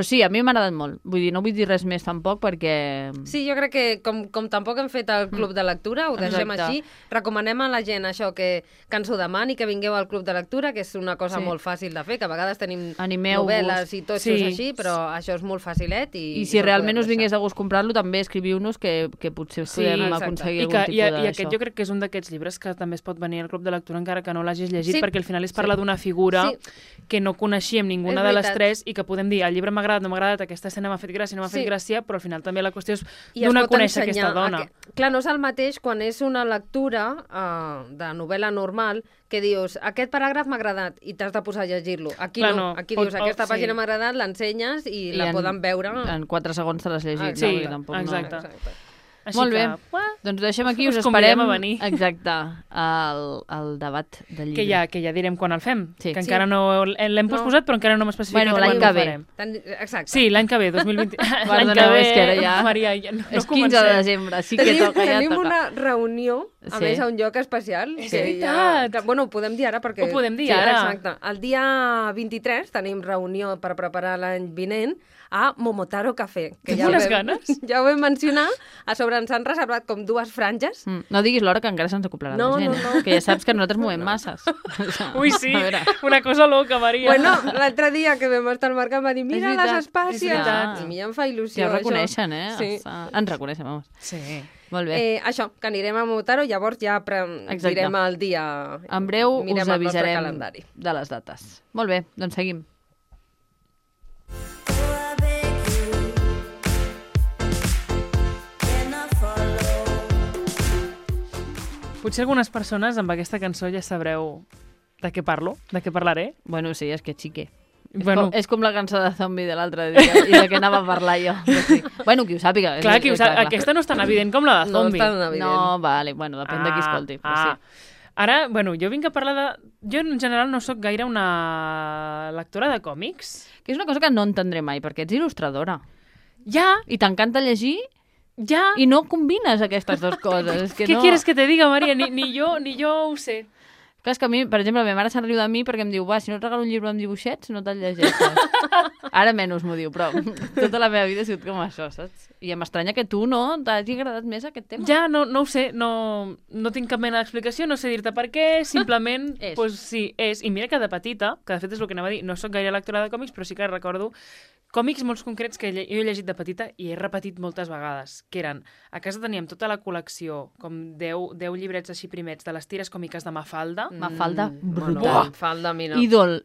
sí, a mi m'ha agradat molt. Vull dir, no vull dir res més tampoc perquè... Sí, jo crec que com tampoc hem fet el club de lectura, ho deixem així, recomanem a la gent això, que ens ho demani, que vingueu al club de lectura, que és una cosa molt fàcil de fer, que a vegades tenim novel·les i totxos així, però això és molt facilet. I si realment us vingués de gust comprar-lo, també escriviu-nos que potser podem aconseguir algun tipus d'això. I aquest jo crec que és un d'aquests llibres que també es pot venir al club de lectura encara que no l'hagis llegit, perquè al final es parla d'una figura que no coneixíem ninguna de les tres i que podem dir, el llibre m'ha agradat, no m'ha agradat, aquesta escena m'ha fet gràcia, no m'ha fet gràcia, però al final també la qüestió és donar a conèixer aquesta dona. Clar, no és el mateix quan és una lectura de novel·la normal que dius, aquest paràgraf m'ha agradat i t'has de posar a llegir-lo. Aquí no, aquí dius, aquesta pàgina m'ha agradat, l'ensenyes i la poden veure. En 4 segons te l'has llegit. Sí, exacte. Molt bé, doncs deixem aquí, us esperem a venir. Exacte, al debat del llibre. Que ja direm quan el fem, que encara no l'hem posposat, però encara no hem especificat l'any que ve. Exacte. Sí, l'any que ve, 2020. L'any que ve, Maria, és 15 de desembre, sí que toca. Tenim una reunió, a més, a un lloc especial. És veritat. Bueno, ho podem dir ara, perquè... Ho podem dir ara. Exacte. El dia 23 tenim reunió per preparar l'any vinent a Momotaro Café. Tens unes ganes? Ja ho vam mencionar. A sobre ens han reservat com 2 franges. No diguis l'hora que encara se'ns acoplarà la gent. No. Que ja saps que nosaltres movem masses. Ui, sí. Una cosa loca, Maria. Bueno, l'altre dia que vam estar al mercat va dir, mira les espàcies. I a mi em fa il·lusió. Ja ho reconeixen, Sí. Ens reconeixen, vamos. Sí. Molt bé. Això, que anirem a Momotaro, llavors ja direm el dia. En breu us avisarem de les dates. Molt bé, doncs seguim. Potser algunes persones amb aquesta cançó ja sabreu de què parlo, de què parlaré. Bueno, sí, és que xique. Bueno. És com la cançó de Zombie de l'altre dia i de què anava a parlar jo. Sí. Bueno, qui ho sàpiga. Clar, qui ho sàpiga. Aquesta no és tan evident com la de Zombie. No és tan evident. No, vale, bueno, depèn de qui escolti. Sí. Ara, bueno, jo vinc a parlar de... Jo, en general, no sóc gaire una lectora de còmics. Que és una cosa que no entendré mai, perquè ets il·lustradora. Ja. I t'encanta llegir... Ja. I no combines aquestes dues coses. És que Què quieres que te diga, Maria? Ni jo ho sé. Clar, és que a mi, per exemple, la meva mare se'n riu de mi perquè em diu, va, si no et regalo un llibre amb dibuixets, no te'l llegeixes. Ara menys m'ho diu, però tota la meva vida ha sigut com això, saps? I em estranya que tu no t'hagi agradat més aquest tema. Ja, no ho sé, no tinc cap mena d'explicació, no sé dir-te per què, simplement, pues sí, és. I mira que de petita, que de fet és el que anava a dir, no sóc gaire lectora de còmics, però sí que recordo còmics molt concrets que jo he llegit de petita i he repetit moltes vegades, que eren, a casa teníem tota la col·lecció, com 10 llibrets així primets, de les tires còmiques de Mafalda. Mafalda, brutal. Bueno, Mafalda, mira. Ídol.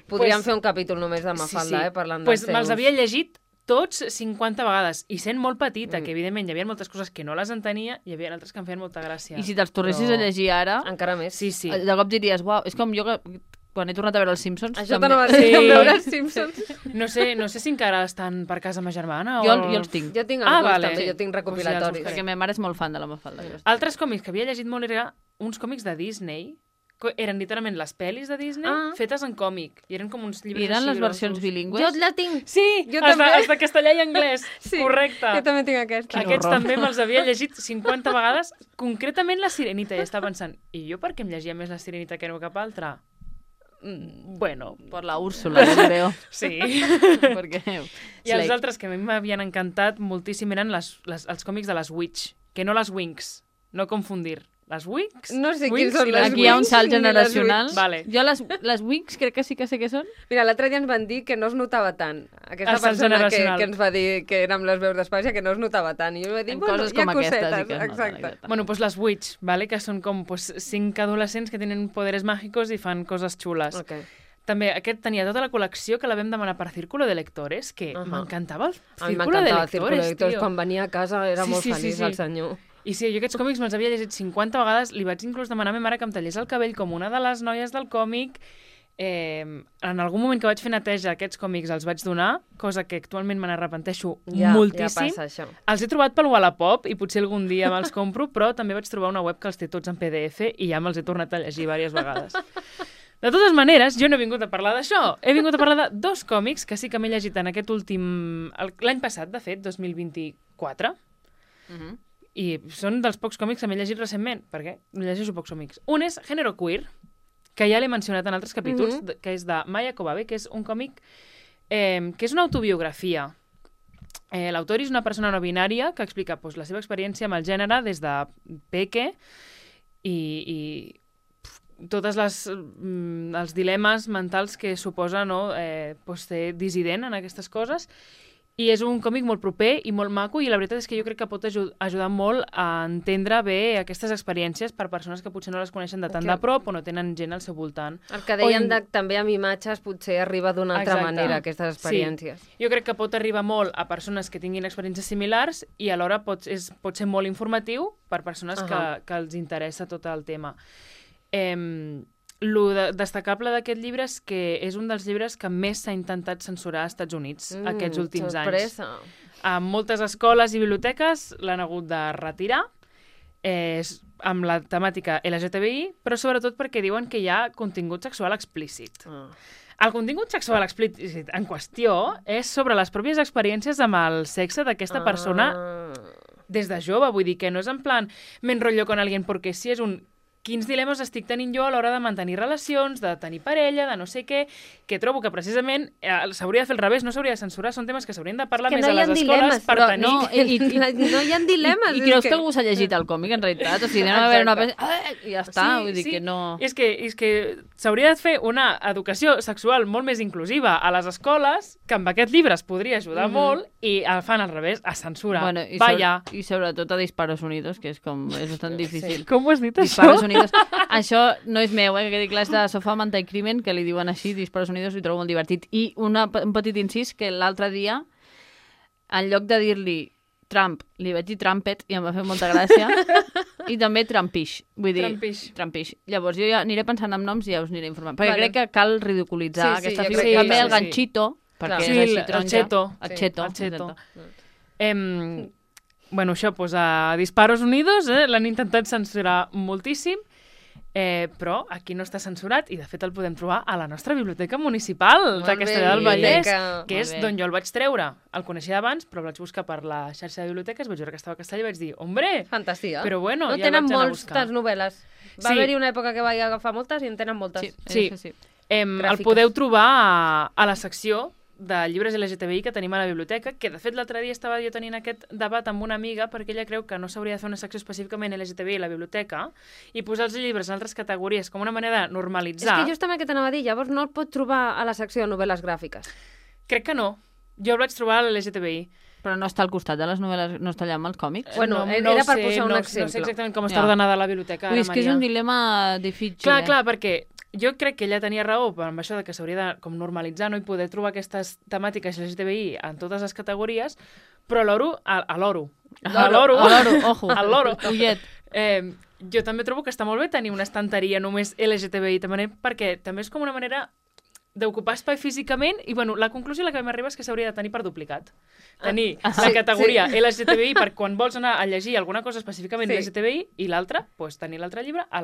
Podríem fer un capítol només de Mafalda, parlant dels seus. Me'ls havia llegit tots 50 vegades, i sent molt petita, que evidentment hi havia moltes coses que no les entenia, hi havia altres que em feien molta gràcia. I si te'ls tornessis a llegir ara... Encara més. Sí. De cop diries, uau, és com jo que quan he tornat a veure els Simpsons... Això t'anava a dir, veure els Simpsons. No sé si encara estan per casa ma germana o... Jo els tinc. Jo tinc alguns també, jo tinc recopilatoris. Perquè ma mare és molt fan de la Mafalda. Altres còmics que havia llegit molt eren uns còmics de Disney, eren literalment les pel·lis de Disney fetes en còmic. I eren com uns llibres així. Eren les versions bilingües? Jo la tinc. Sí, els de castellà i anglès. Sí, correcte. Jo també tinc aquests. Aquests també me'ls havia llegit 50 vegades. Concretament la Sirenita. I estava pensant, i jo per què em llegia més la Sirenita que no cap altra? Bueno. Per la Úrsula, jo creo. Sí. Perquè... I els altres que a mi m'havien encantat moltíssim eren els còmics de les Witch, que no les Winx, no confundir. Les Wings? No sé quins són les Wings. Aquí hi ha un salt generacional. Vale. Jo les Wings crec que sí que sé què són. Mira, l'altre dia ens van dir que no es notava tant. Aquesta persona que ens va dir que érem les veus d'Espàcia, que no es notava tant. I jo vaig dir, bueno, coses com aquestes. Exacte. Bueno, pues les Witch, ¿vale? Que són com 5 adolescents que tenen poderes mágicos i fan coses xules. Okay. També aquest tenia tota la col·lecció que la vam demanar per Círculo de Lectores, que m'encantava el Círculo de Lectores. A mi m'encantava el Círculo de Lectores. Quan venia a casa era molt feliç el senyor. I sí, jo aquests còmics me'ls havia llegit 50 vegades, li vaig inclús demanar a ma mare que em tallés el cabell com una de les noies del còmic. En algun moment que vaig fer neteja aquests còmics els vaig donar, cosa que actualment me n'arrepenteixo moltíssim. Ja passa això. Els he trobat pel Wallapop i potser algun dia me'ls compro, però també vaig trobar una web que els té tots en PDF i ja me'ls he tornat a llegir diverses vegades. De totes maneres, jo no he vingut a parlar d'això. He vingut a parlar de 2 còmics que sí que m'he llegit en aquest últim... l'any passat, de fet, 2024. I són dels pocs còmics que m'he llegit recentment, perquè llegeixo pocs còmics. Un és Género Queer, que ja l'he mencionat en altres capítols, que és de Maya Kobabe, que és un còmic que és una autobiografia. L'autor és una persona no binària que explica la seva experiència amb el gènere des de peque i tots els dilemes mentals que suposa ser dissident en aquestes coses. I és un còmic molt proper i molt maco i la veritat és que jo crec que pot ajudar molt a entendre bé aquestes experiències per persones que potser no les coneixen de tant de prop o no tenen gent al seu voltant. El que deien també amb imatges potser arriba d'una altra manera, aquestes experiències. Sí. Jo crec que pot arribar molt a persones que tinguin experiències similars i alhora pot ser molt informatiu per persones que els interessa tot el tema. Lo destacable d'aquest llibre és que és un dels llibres que més s'ha intentat censurar als Estats Units aquests últims anys. A moltes escoles i biblioteques l'han hagut de retirar amb la temàtica LGTBI, però sobretot perquè diuen que hi ha contingut sexual explícit. El contingut sexual explícit en qüestió és sobre les pròpies experiències amb el sexe d'aquesta persona des de jove. Vull dir que no és en plan m'enrotllo con alguien porque sí, és un quins dilemes estic tenint jo a l'hora de mantenir relacions, de tenir parella, de no sé què, que trobo que precisament s'hauria de fer al revés, no s'hauria de censurar, són temes que s'haurien de parlar més a les escoles per tenir... No hi ha dilemes. I creus que algú s'ha llegit el còmic, en realitat? O sigui, anem a veure una... I ja està, vull dir que no... És que s'hauria de fer una educació sexual molt més inclusiva a les escoles, que amb aquest llibre es podria ajudar molt, i el fan al revés, a censura. Bueno, i sobretot a Disparos Unidos, que és bastant difícil. Com ho has dit, això? Això no és meu, que dic les de Sofà Manta i Crimen, que li diuen així, Disparos Unidos, i trobo molt divertit. I un petit incís, que l'altre dia, en lloc de dir-li Trump, li vaig dir Trumpet, i em va fer molta gràcia, i també Trumpish, vull dir, Trumpish. Llavors jo ja aniré pensant en noms i ja us aniré informant, perquè crec que cal ridiculitzar aquesta figura. També el ganchito, perquè és així taronja. El cheto. Bueno, això, a Disparos Unidos l'han intentat censurar moltíssim, però aquí no està censurat i de fet el podem trobar a la nostra biblioteca municipal de Castellar del Vallès, que és d'on jo el vaig treure. El coneixia abans, però el vaig buscar per la xarxa de biblioteques, vaig veure que estava a Castellar i vaig dir, hombre, fantàstica. Però bueno, no ja el vaig anar a buscar. Tenen moltes novel·les. Va haver-hi una època que vaig agafar moltes i en tenen moltes. Sí. El podeu trobar a la secció de llibres LGTBI que tenim a la biblioteca, que de fet l'altre dia estava jo tenint aquest debat amb una amiga perquè ella creu que no s'hauria de fer una secció específicament LGTBI a la biblioteca i posar els llibres en altres categories com una manera de normalitzar. És que justament que t'anava a dir, llavors no el pot trobar a la secció de novel·les gràfiques. Crec que no. Jo el vaig trobar a l'LGTBI. Però no està al costat de les novel·les, no està allà amb els còmics? Bueno, era per posar un exemple. No sé exactament com està ordenada la biblioteca. És que és un dilema difícil. Clar, perquè jo crec que ella tenia raó amb això de que s'hauria de com normalitzar, no? I poder trobar aquestes temàtiques LGTBI en totes les categories, però a l'oro, ojo, ullet. Jo també trobo que està molt bé tenir una estanteria només LGTBI, també perquè també és com una manera d'ocupar espai físicament i, bueno, la conclusió a la que m'arriba és que s'hauria de tenir per duplicat. Tenir la categoria LGTBI per quan vols anar a llegir alguna cosa específicament LGTBI i l'altra, doncs tenir l'altre llibre a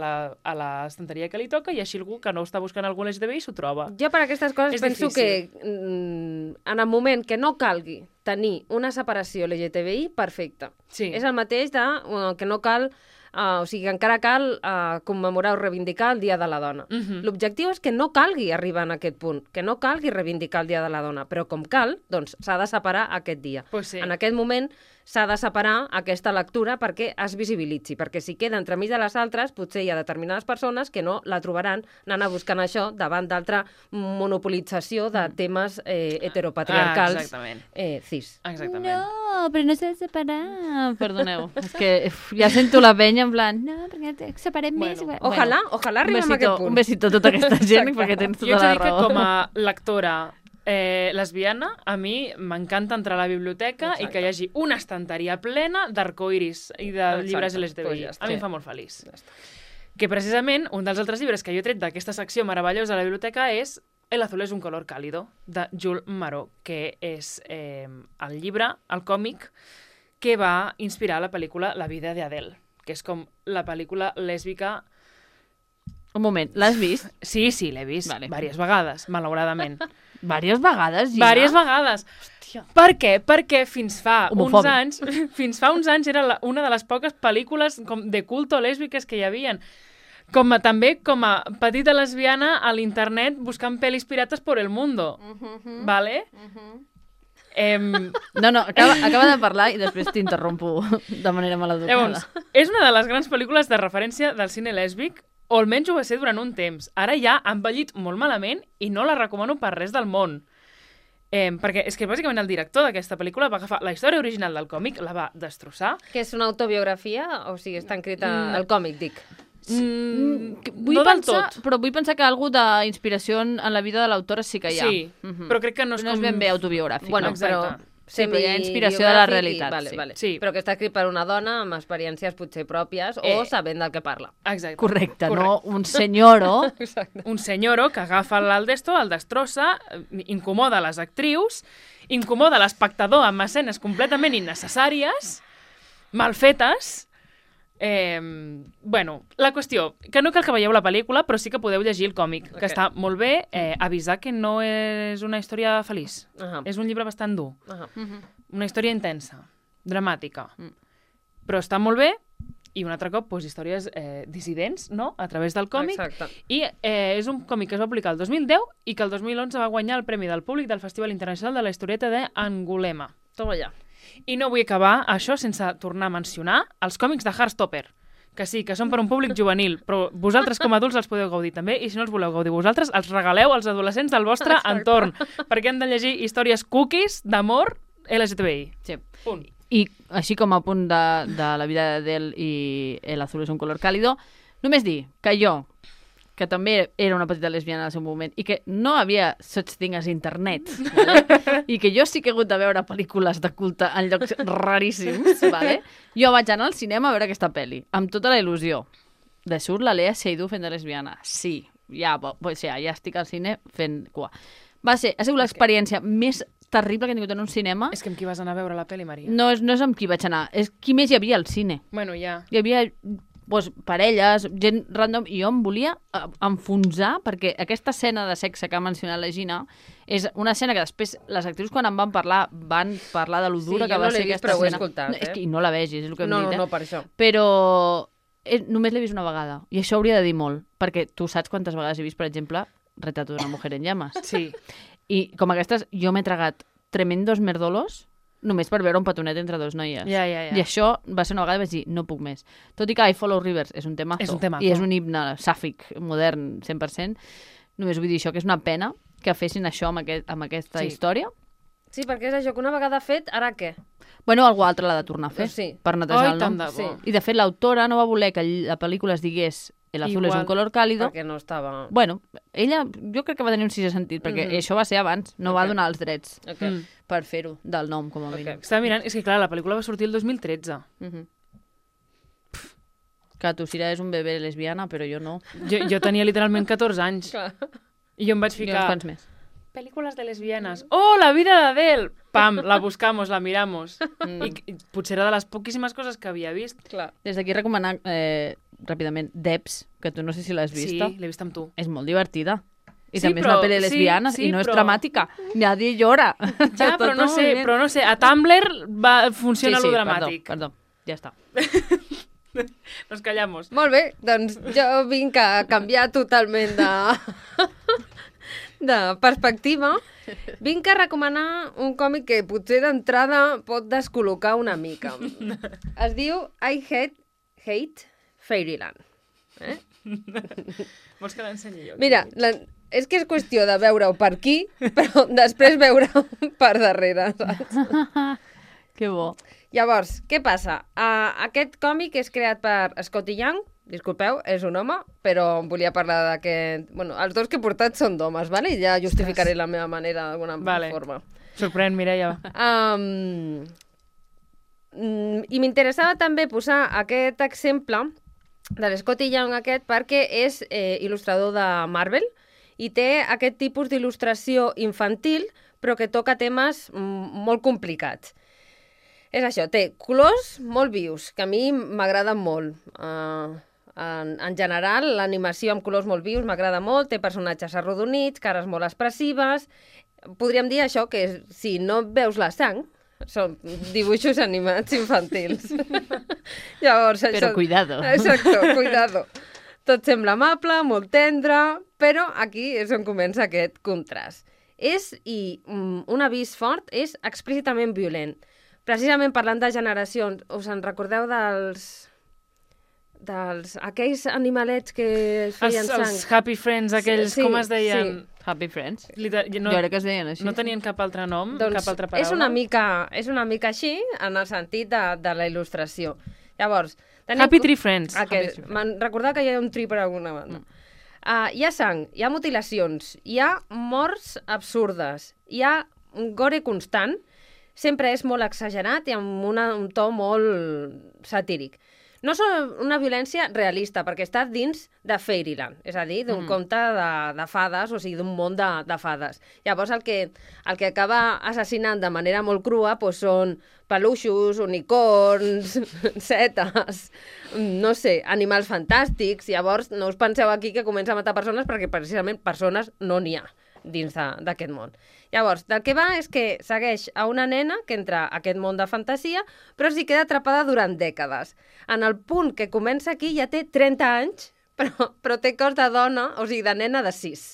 l'estanteria que li toca i així algú que no està buscant algun LGTBI s'ho troba. Jo per aquestes coses penso que en el moment que no calgui tenir una separació LGTBI, perfecte. Sí. És el mateix que no cal... o sigui, que encara cal commemorar o reivindicar el Dia de la Dona. L'objectiu és que no calgui arribar en aquest punt, que no calgui reivindicar el Dia de la Dona, però com cal, doncs s'ha de separar aquest dia. Pues sí. En aquest moment s'ha de separar aquesta lectura perquè es visibilitzi, perquè si queda entremig de les altres, potser hi ha determinades persones que no la trobaran anant a buscar això davant d'altra monopolització de temes heteropatriarcals cis. Exactament. No, però no s'ha de separar. Perdoneu, és que ja sento la penya en plan, no, perquè separem més. Ojalà arribem a aquest punt. Un besito a tota aquesta gent, perquè tens tota la raó. Jo haig de dir que com a lectora lesbiana, a mi m'encanta entrar a la biblioteca i que hi hagi una estanteria plena d'arcoiris i de llibres LGTBI. A mi em fa molt feliç. Que precisament un dels altres llibres que jo he tret d'aquesta secció meravellosa de la biblioteca és El azul es un color cálido, de Jules Marot, que és el llibre, el còmic, que va inspirar la pel·lícula La vida de Adele, que és com la pel·lícula lèsbica... Un moment, l'has vist? Sí, l'he vist diverses vegades, malauradament. Diverses vegades, ja? Diverses vegades. Hòstia. Per què? Perquè fins fa uns anys era una de les poques pel·lícules de culto lèsbiques que hi havien. També com a petita lesbiana a l'internet buscant pel·lis pirates por el mundo. ¿Vale? No, acaba de parlar i després t'interrompo de manera maleducada. Llavors, és una de les grans pel·lícules de referència del cine lèsbic, o almenys ho va ser durant un temps. Ara ja ha envellit molt malament i no la recomano per res del món. Perquè és que bàsicament el director d'aquesta pel·lícula va agafar la història original del còmic, la va destrossar. Que és una autobiografia? O sigui, està escrita al còmic, dic. No del tot. Però vull pensar que algú d'inspiració en la vida de l'autora sí que hi ha. Sí, però crec que no és com... No és ben bé autobiogràfic. Bueno, però... Sí, però hi ha inspiració de la realitat. Vale. Sí. Però que està escrit per una dona amb experiències potser pròpies o sabent del que parla. Exacte. Correcte, no un senyoro. Un senyoro que agafa l'aldesto, el destrossa, incomoda les actrius, incomoda l'espectador amb escenes completament innecessàries, mal fetes. Bueno, la qüestió, que no cal que veieu la pel·lícula, però sí que podeu llegir el còmic, que està molt bé. Avisar que no és una història feliç. És un llibre bastant dur. Una història intensa, dramàtica. Però està molt bé, i un altre cop, històries dissidents, no?, a través del còmic. Exacte. I és un còmic que es va publicar el 2010 i que el 2011 va guanyar el Premi del Públic del Festival Internacional de la Historieta d'Angulema. Toma allà. I no vull acabar això sense tornar a mencionar els còmics de Heartstopper, que sí, que són per un públic juvenil, però vosaltres com a adults els podeu gaudir també, i si no els voleu gaudir vosaltres, els regaleu als adolescents del vostre entorn, perquè han de llegir històries cookies d'amor LGTBI. Sí. Punt. I així com a punt de La vida d'Adele i El azul es un color cálido, només dir que jo, que també era una petita lesbiana al seu moment, i que no havia such thing as internet, vale? I que jo sí que he hagut de veure pel·lícules de culte en llocs raríssims, vale? Jo vaig anar al cinema a veure aquesta pel·li, amb tota la il·lusió. De surt la Lea Seydoux fent de lesbiana. Sí, ja estic al cine fent cua. Ha sigut l'experiència més terrible que he tingut en un cinema. És que amb qui vas anar a veure la pel·li, Maria? No és amb qui vaig anar, és qui més hi havia al cine. Bueno, ja. Hi havia parelles, gent random, i jo em volia enfonsar, perquè aquesta escena de sexe que ha mencionat la Gina és una escena que després les actrius quan en van parlar de lo dura que va ser aquesta escena. Però ho he escoltat, És que no la vegis, és el que hem dit. No, per això. Però només l'he vist una vegada, i això hauria de dir molt, perquè tu saps quantes vegades he vist, per exemple, Retrato d'una mujer en llamas. Sí. I com aquestes, jo m'he tragat tremendos merdolos només per veure un petonet entre dos noies. Ja. I això va ser una vegada i vaig dir, no puc més. Tot i que I Follow Rivers és un temazo. I és un himne sàfic, modern, 100%. Només vull dir això, que és una pena que fessin això amb aquesta història. Sí, perquè és això, que una vegada fet, ara què? Bueno, algú altre l'ha de tornar a fer, per netejar el nom. Sí. I, de fet, l'autora no va voler que la pel·lícula es digués El azul és un color cálido. Perquè no estava... Bueno, ella jo crec que va tenir un sisè sentit, perquè això va ser abans, no va donar els drets per fer-ho del nom, com a mínim. Estava mirant, és que clar, la pel·lícula va sortir el 2013. Que tu, Sira, és un bebè lesbiana, però jo no. Jo tenia literalment 14 anys. I jo em vaig ficar... Jo uns quants més. Pel·lícules de lesbianes. Oh, la vida d'Adele! Pam, la buscamos, la miramos. I potser era de les poquíssimes coses que havia vist. Clar. Des d'aquí recomanar ràpidament Debs, que tu no sé si l'has vista. Sí, l'he vist amb tu. És molt divertida. I Sí, també és però- una pel·li de lesbianes sí, i no és però- dramàtica. Nadie llora. Ja, però no sé, a Tumblr funciona lo dramàtic. Perdó, ja està. Nos callamos. Molt bé, doncs jo vinc a canviar totalment de perspectiva. Vinc a recomanar un còmic que potser d'entrada pot descol·locar una mica. Es diu I Hate Fairyland. Vols que l'ensenyi jo? Mira, és que és qüestió de veure-ho per aquí, però després veure-ho per darrere, saps? Que bo. Llavors, què passa? Aquest còmic és creat per Scotty Young, disculpeu, és un home, però em volia parlar d'aquest... Bueno, els dos que he portat són d'homes, vale? I ja justificaré la meva manera d'alguna forma. Sorprèn, Mireia. I m'interessava també posar aquest exemple de l'Scotty Young aquest perquè és il·lustrador de Marvel i té aquest tipus d'il·lustració infantil però que toca temes molt complicats. És això, té colors molt vius, que a mi m'agraden molt. En general, l'animació amb colors molt vius m'agrada molt, té personatges arrodonits, cares molt expressives. Podríem dir això, que si no veus la sang, són dibuixos animats infantils. Llavors, això... Però cuidado. Exacto, cuidado. Tot sembla amable, molt tendre, però aquí és on comença aquest contrast. I un avís fort, és explícitament violent. Precisament parlant de generacions, us en recordeu aquells animalets que feien sang? Els Happy Friends, aquells, com es deien? Sí. Happy Friends. Jo crec que es deien així. No tenien cap altre nom, doncs cap altra paraula? És una mica així, en el sentit de la il·lustració. Llavors... Happy Tree Friends. Me'n recordava que hi ha un tri per alguna banda. Hi ha sang, hi ha mutilacions, hi ha morts absurdes, hi ha un gore constant, sempre és molt exagerat i amb un to molt satíric. No és una violència realista, perquè està dins de Fairyland, és a dir, d'un conte de fades, o sigui, d'un món de fades. Llavors, el que acaba assassinant de manera molt crua són peluixos, unicorns, setes, no sé, animals fantàstics. Llavors, no us penseu aquí que comença a matar persones, perquè precisament persones no n'hi ha dins d'aquest món. Llavors, del que va és que segueix a una nena que entra a aquest món de fantasia, però s'hi queda atrapada durant dècades. En el punt que comença aquí ja té 30 anys, però té cos de dona, o sigui, de nena de 6.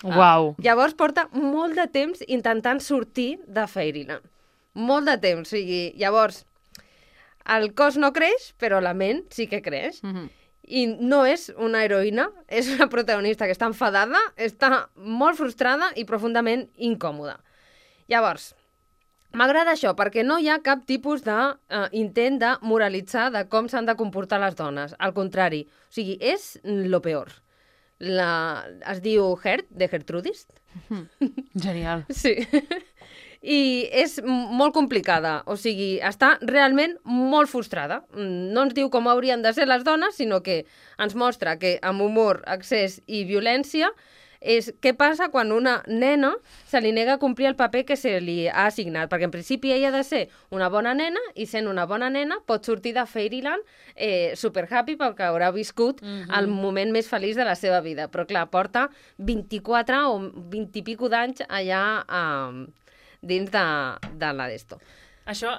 Uau. Llavors porta molt de temps intentant sortir de Fairyland. Molt de temps, o sigui, llavors el cos no creix, però la ment sí que creix. I no és una heroïna, és una protagonista que està enfadada, està molt frustrada i profundament incòmoda. Llavors, m'agrada això, perquè no hi ha cap tipus d'intent de moralitzar de com s'han de comportar les dones. Al contrari, o sigui, és lo peor. Es diu Heart, de Gertrudis. Genial. Sí. I és molt complicada, o sigui, està realment molt frustrada. No ens diu com haurien de ser les dones, sinó que ens mostra que amb humor, excés i violència és què passa quan una nena se li nega a complir el paper que se li ha assignat, perquè en principi ella ha de ser una bona nena i sent una bona nena pot sortir de Fairyland super happy perquè haurà viscut el moment més feliç de la seva vida. Però clar, porta 24 o 20 i pico d'anys allà dins de la d'esto. Això,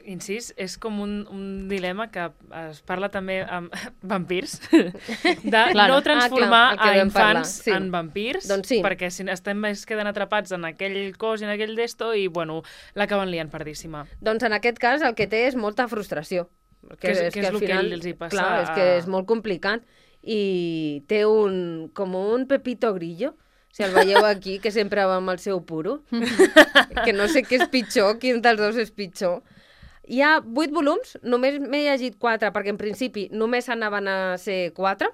incís, és com un dilema que es parla també amb vampirs, de no transformar a infants en vampirs, doncs sí. Perquè si estem més quedant atrapats en aquell cos i en aquell d'esto i, bueno, l'acaben liant perdíssima. Doncs en aquest cas el que té és molta frustració. Que és el que els hi passa. Clar, és que és molt complicat i té com un Pepito Grillo, Si el veieu aquí, que sempre va amb el seu puro. Que no sé què és pitjor, quin dels dos és pitjor. Hi ha 8 volums, només m'he llegit 4, perquè en principi només anaven a ser 4.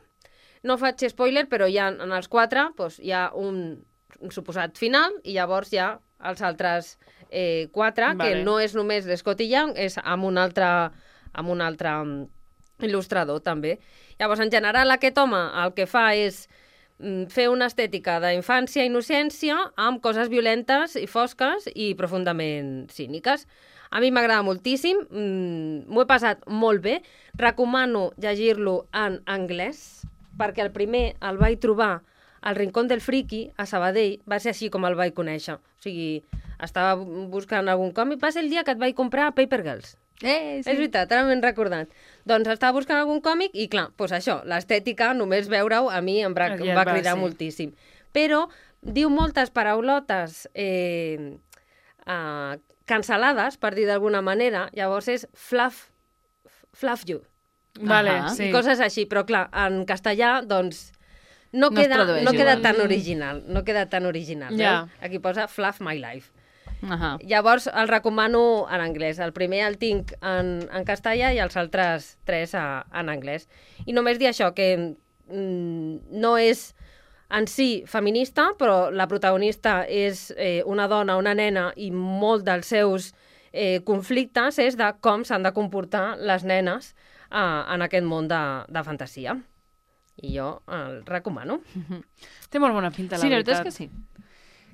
No faig spoiler, però en els 4 doncs, hi ha un suposat final i llavors hi ha els altres 4, que no és només d'Scotty Young, és amb un altre il·lustrador també. Llavors, en general, aquest home el que fa és fer una estètica d'infància i innocència amb coses violentes i fosques i profundament cíniques. A mi m'agrada moltíssim, m'ho he passat molt bé, recomano llegir-lo en anglès, perquè el primer el vaig trobar al Rincón del Friki, a Sabadell, va ser així com el vaig conèixer. O sigui, estava buscant algun còmic, va ser el dia que et vaig comprar Paper Girls. Sí. És veritat, ara m'he recordat. Doncs estava buscant algun còmic i, clar, doncs això, l'estètica, només veure-ho, a mi em va cridar moltíssim. Però diu moltes paraulotes cancel·lades, per dir d'alguna manera, llavors és fluff you. Vale, sí. I coses així, però clar, en castellà, doncs, no queda tan original. No queda tan original. Aquí posa fluff my life. Llavors el recomano en anglès. El primer el tinc en castellà i els altres 3 en anglès. I només dir això, que no és en si feminista, però la protagonista és una dona, una nena, i molt dels seus conflictes és de com s'han de comportar les nenes en aquest món de fantasia. I jo el recomano. Té molt bona pinta, la veritat. Sí, la veritat és que sí.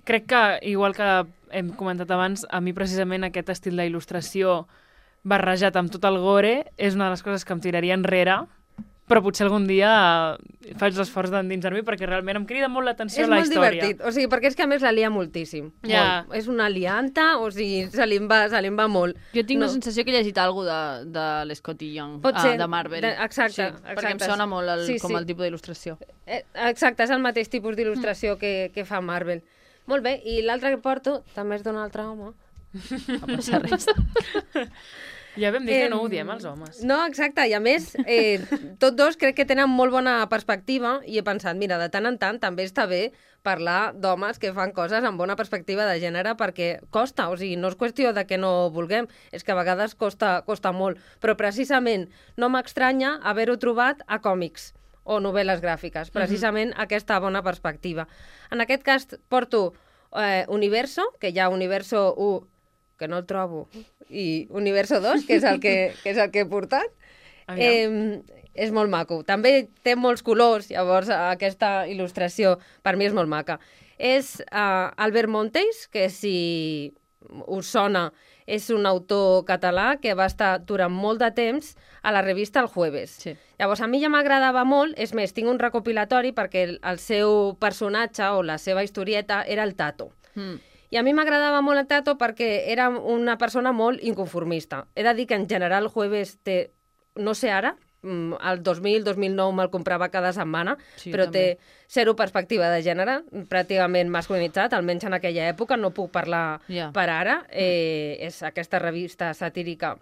Crec que, igual que hem comentat abans, a mi precisament aquest estil d'il·lustració barrejat amb tot el gore és una de les coses que em tiraria enrere, però potser algun dia faig l'esforç d'endinsar-m'hi perquè realment em crida molt l'atenció la història. És molt divertit, o sigui, perquè és que a més la lia moltíssim. Molt. És una lianta, o sigui, se li en va molt. Jo tinc la sensació que he llegit alguna cosa de l'Scotty Young, de Marvel. Exacte. Perquè em sona molt com el tipus d'il·lustració. Exacte, és el mateix tipus d'il·lustració que fa Marvel. Molt bé, i l'altre que porto també és d'un altre home. No passa res. Ja vam dir que no odiem els homes. No, exacte, i a més, tots dos crec que tenen molt bona perspectiva i he pensat, mira, de tant en tant també està bé parlar d'homes que fan coses amb bona perspectiva de gènere perquè costa, o sigui, no és qüestió de que no vulguem, és que a vegades costa molt, però precisament no m'estranya haver-ho trobat a còmics o novel·les gràfiques, precisament aquesta bona perspectiva. En aquest cas porto Universo, que hi ha Universo 1, que no el trobo, i Universo 2, que és el que he portat. És molt maco. També té molts colors, llavors aquesta il·lustració per mi és molt maca. És Albert Monteys, que si us sona és un autor català que va estar durant molt de temps a la revista El Jueves. Sí. Llavors, a mi ja m'agradava molt, és més, tinc un recopilatori perquè el seu personatge o la seva historieta era el Tato. I a mi m'agradava molt el Tato perquè era una persona molt inconformista. He de dir que en general El Jueves té, no sé ara, el 2000-2009 me'l comprava cada setmana, sí, però també té zero perspectiva de gènere, pràcticament masculinitzat, almenys en aquella època, no puc parlar per ara. És aquesta revista satírica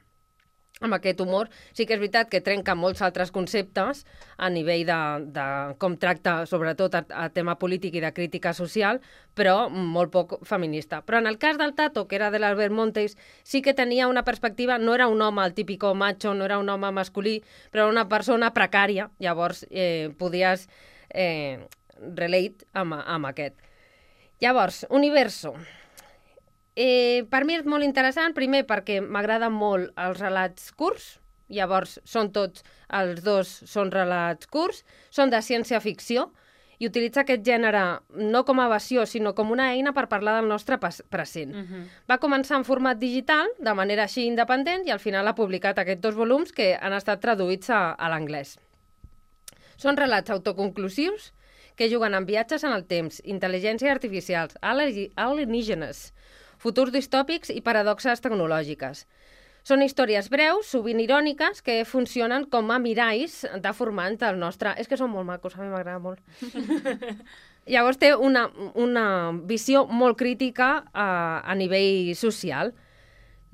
amb aquest humor. Sí que és veritat que trenca molts altres conceptes a nivell de com tracta, sobretot, a tema polític i de crítica social, però molt poc feminista. Però en el cas del Tato, que era de l'Albert Monteys, sí que tenia una perspectiva, no era un home, el típico macho, no era un home masculí, però era una persona precària, llavors podies relate amb aquest. Llavors, Universo. Per mi és molt interessant, primer perquè m'agraden molt els relats curts, llavors els dos són relats curts, són de ciència-ficció i utilitza aquest gènere no com a evasió, sinó com una eina per parlar del nostre present. Va començar en format digital, de manera així independent, i al final ha publicat aquests 2 volums que han estat traduïts a l'anglès. Són relats autoconclusius que juguen amb viatges en el temps, intel·ligències artificials, alienígenes, futurs distòpics i paradoxes tecnològiques. Són històries breus, sovint iròniques, que funcionen com a miralls deformants del nostre... És que són molt macos, a mi m'agrada molt. Llavors té una visió molt crítica a nivell social.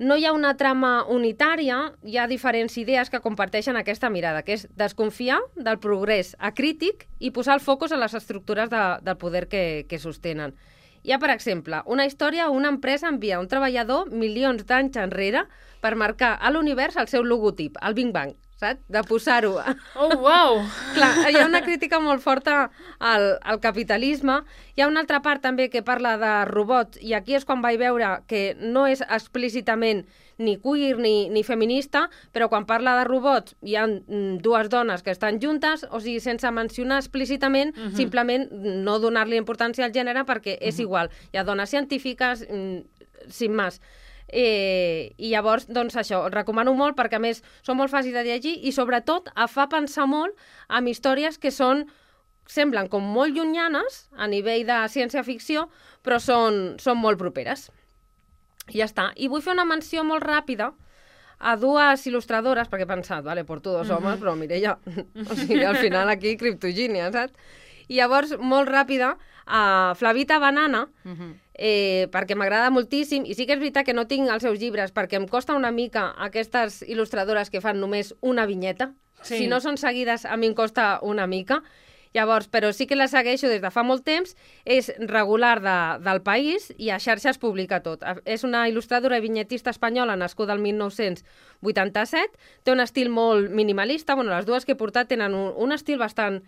no hi ha una trama unitària, hi ha diferents idees que comparteixen aquesta mirada, que és desconfiar del progrés acrític i posar el focus en les estructures del poder que sostenen. Hi ha, per exemple, una història on una empresa envia un treballador milions d'anys enrere per marcar a l'univers el seu logotip, el Big Bang, saps? De posar-ho. Oh, uau! Clar, hi ha una crítica molt forta al capitalisme. Hi ha una altra part també que parla de robots, i aquí és quan vaig veure que no és explícitament ni queer ni feminista, però quan parla de robots hi ha dues dones que estan juntes, o sigui, sense mencionar explícitament, simplement no donar-li importància al gènere perquè és igual. Hi ha dones científiques, sin més. I llavors, doncs això, el recomano molt perquè a més són molt fàcils de llegir i sobretot fa pensar molt en històries que semblen com molt llunyanes a nivell de ciència-ficció, però són molt properes. I ja està. I vull fer una menció molt ràpida a dues il·lustradores, perquè he pensat, vale, porto dos homes, però Mireia, o sigui, al final aquí criptogínia, saps? I llavors, molt ràpida, a Flavita Banana, perquè m'agrada moltíssim, i sí que és veritat que no tinc els seus llibres, perquè em costa una mica aquestes il·lustradores que fan només una vinyeta. Sí. Si no són seguides, a mi em costa una mica. Llavors, però sí que la segueixo des de fa molt temps, és regular del País i a xarxes publica tot. És una il·lustradora i vinyetista espanyola nascuda el 1987, té un estil molt minimalista, bueno, les dues que he portat tenen un estil bastant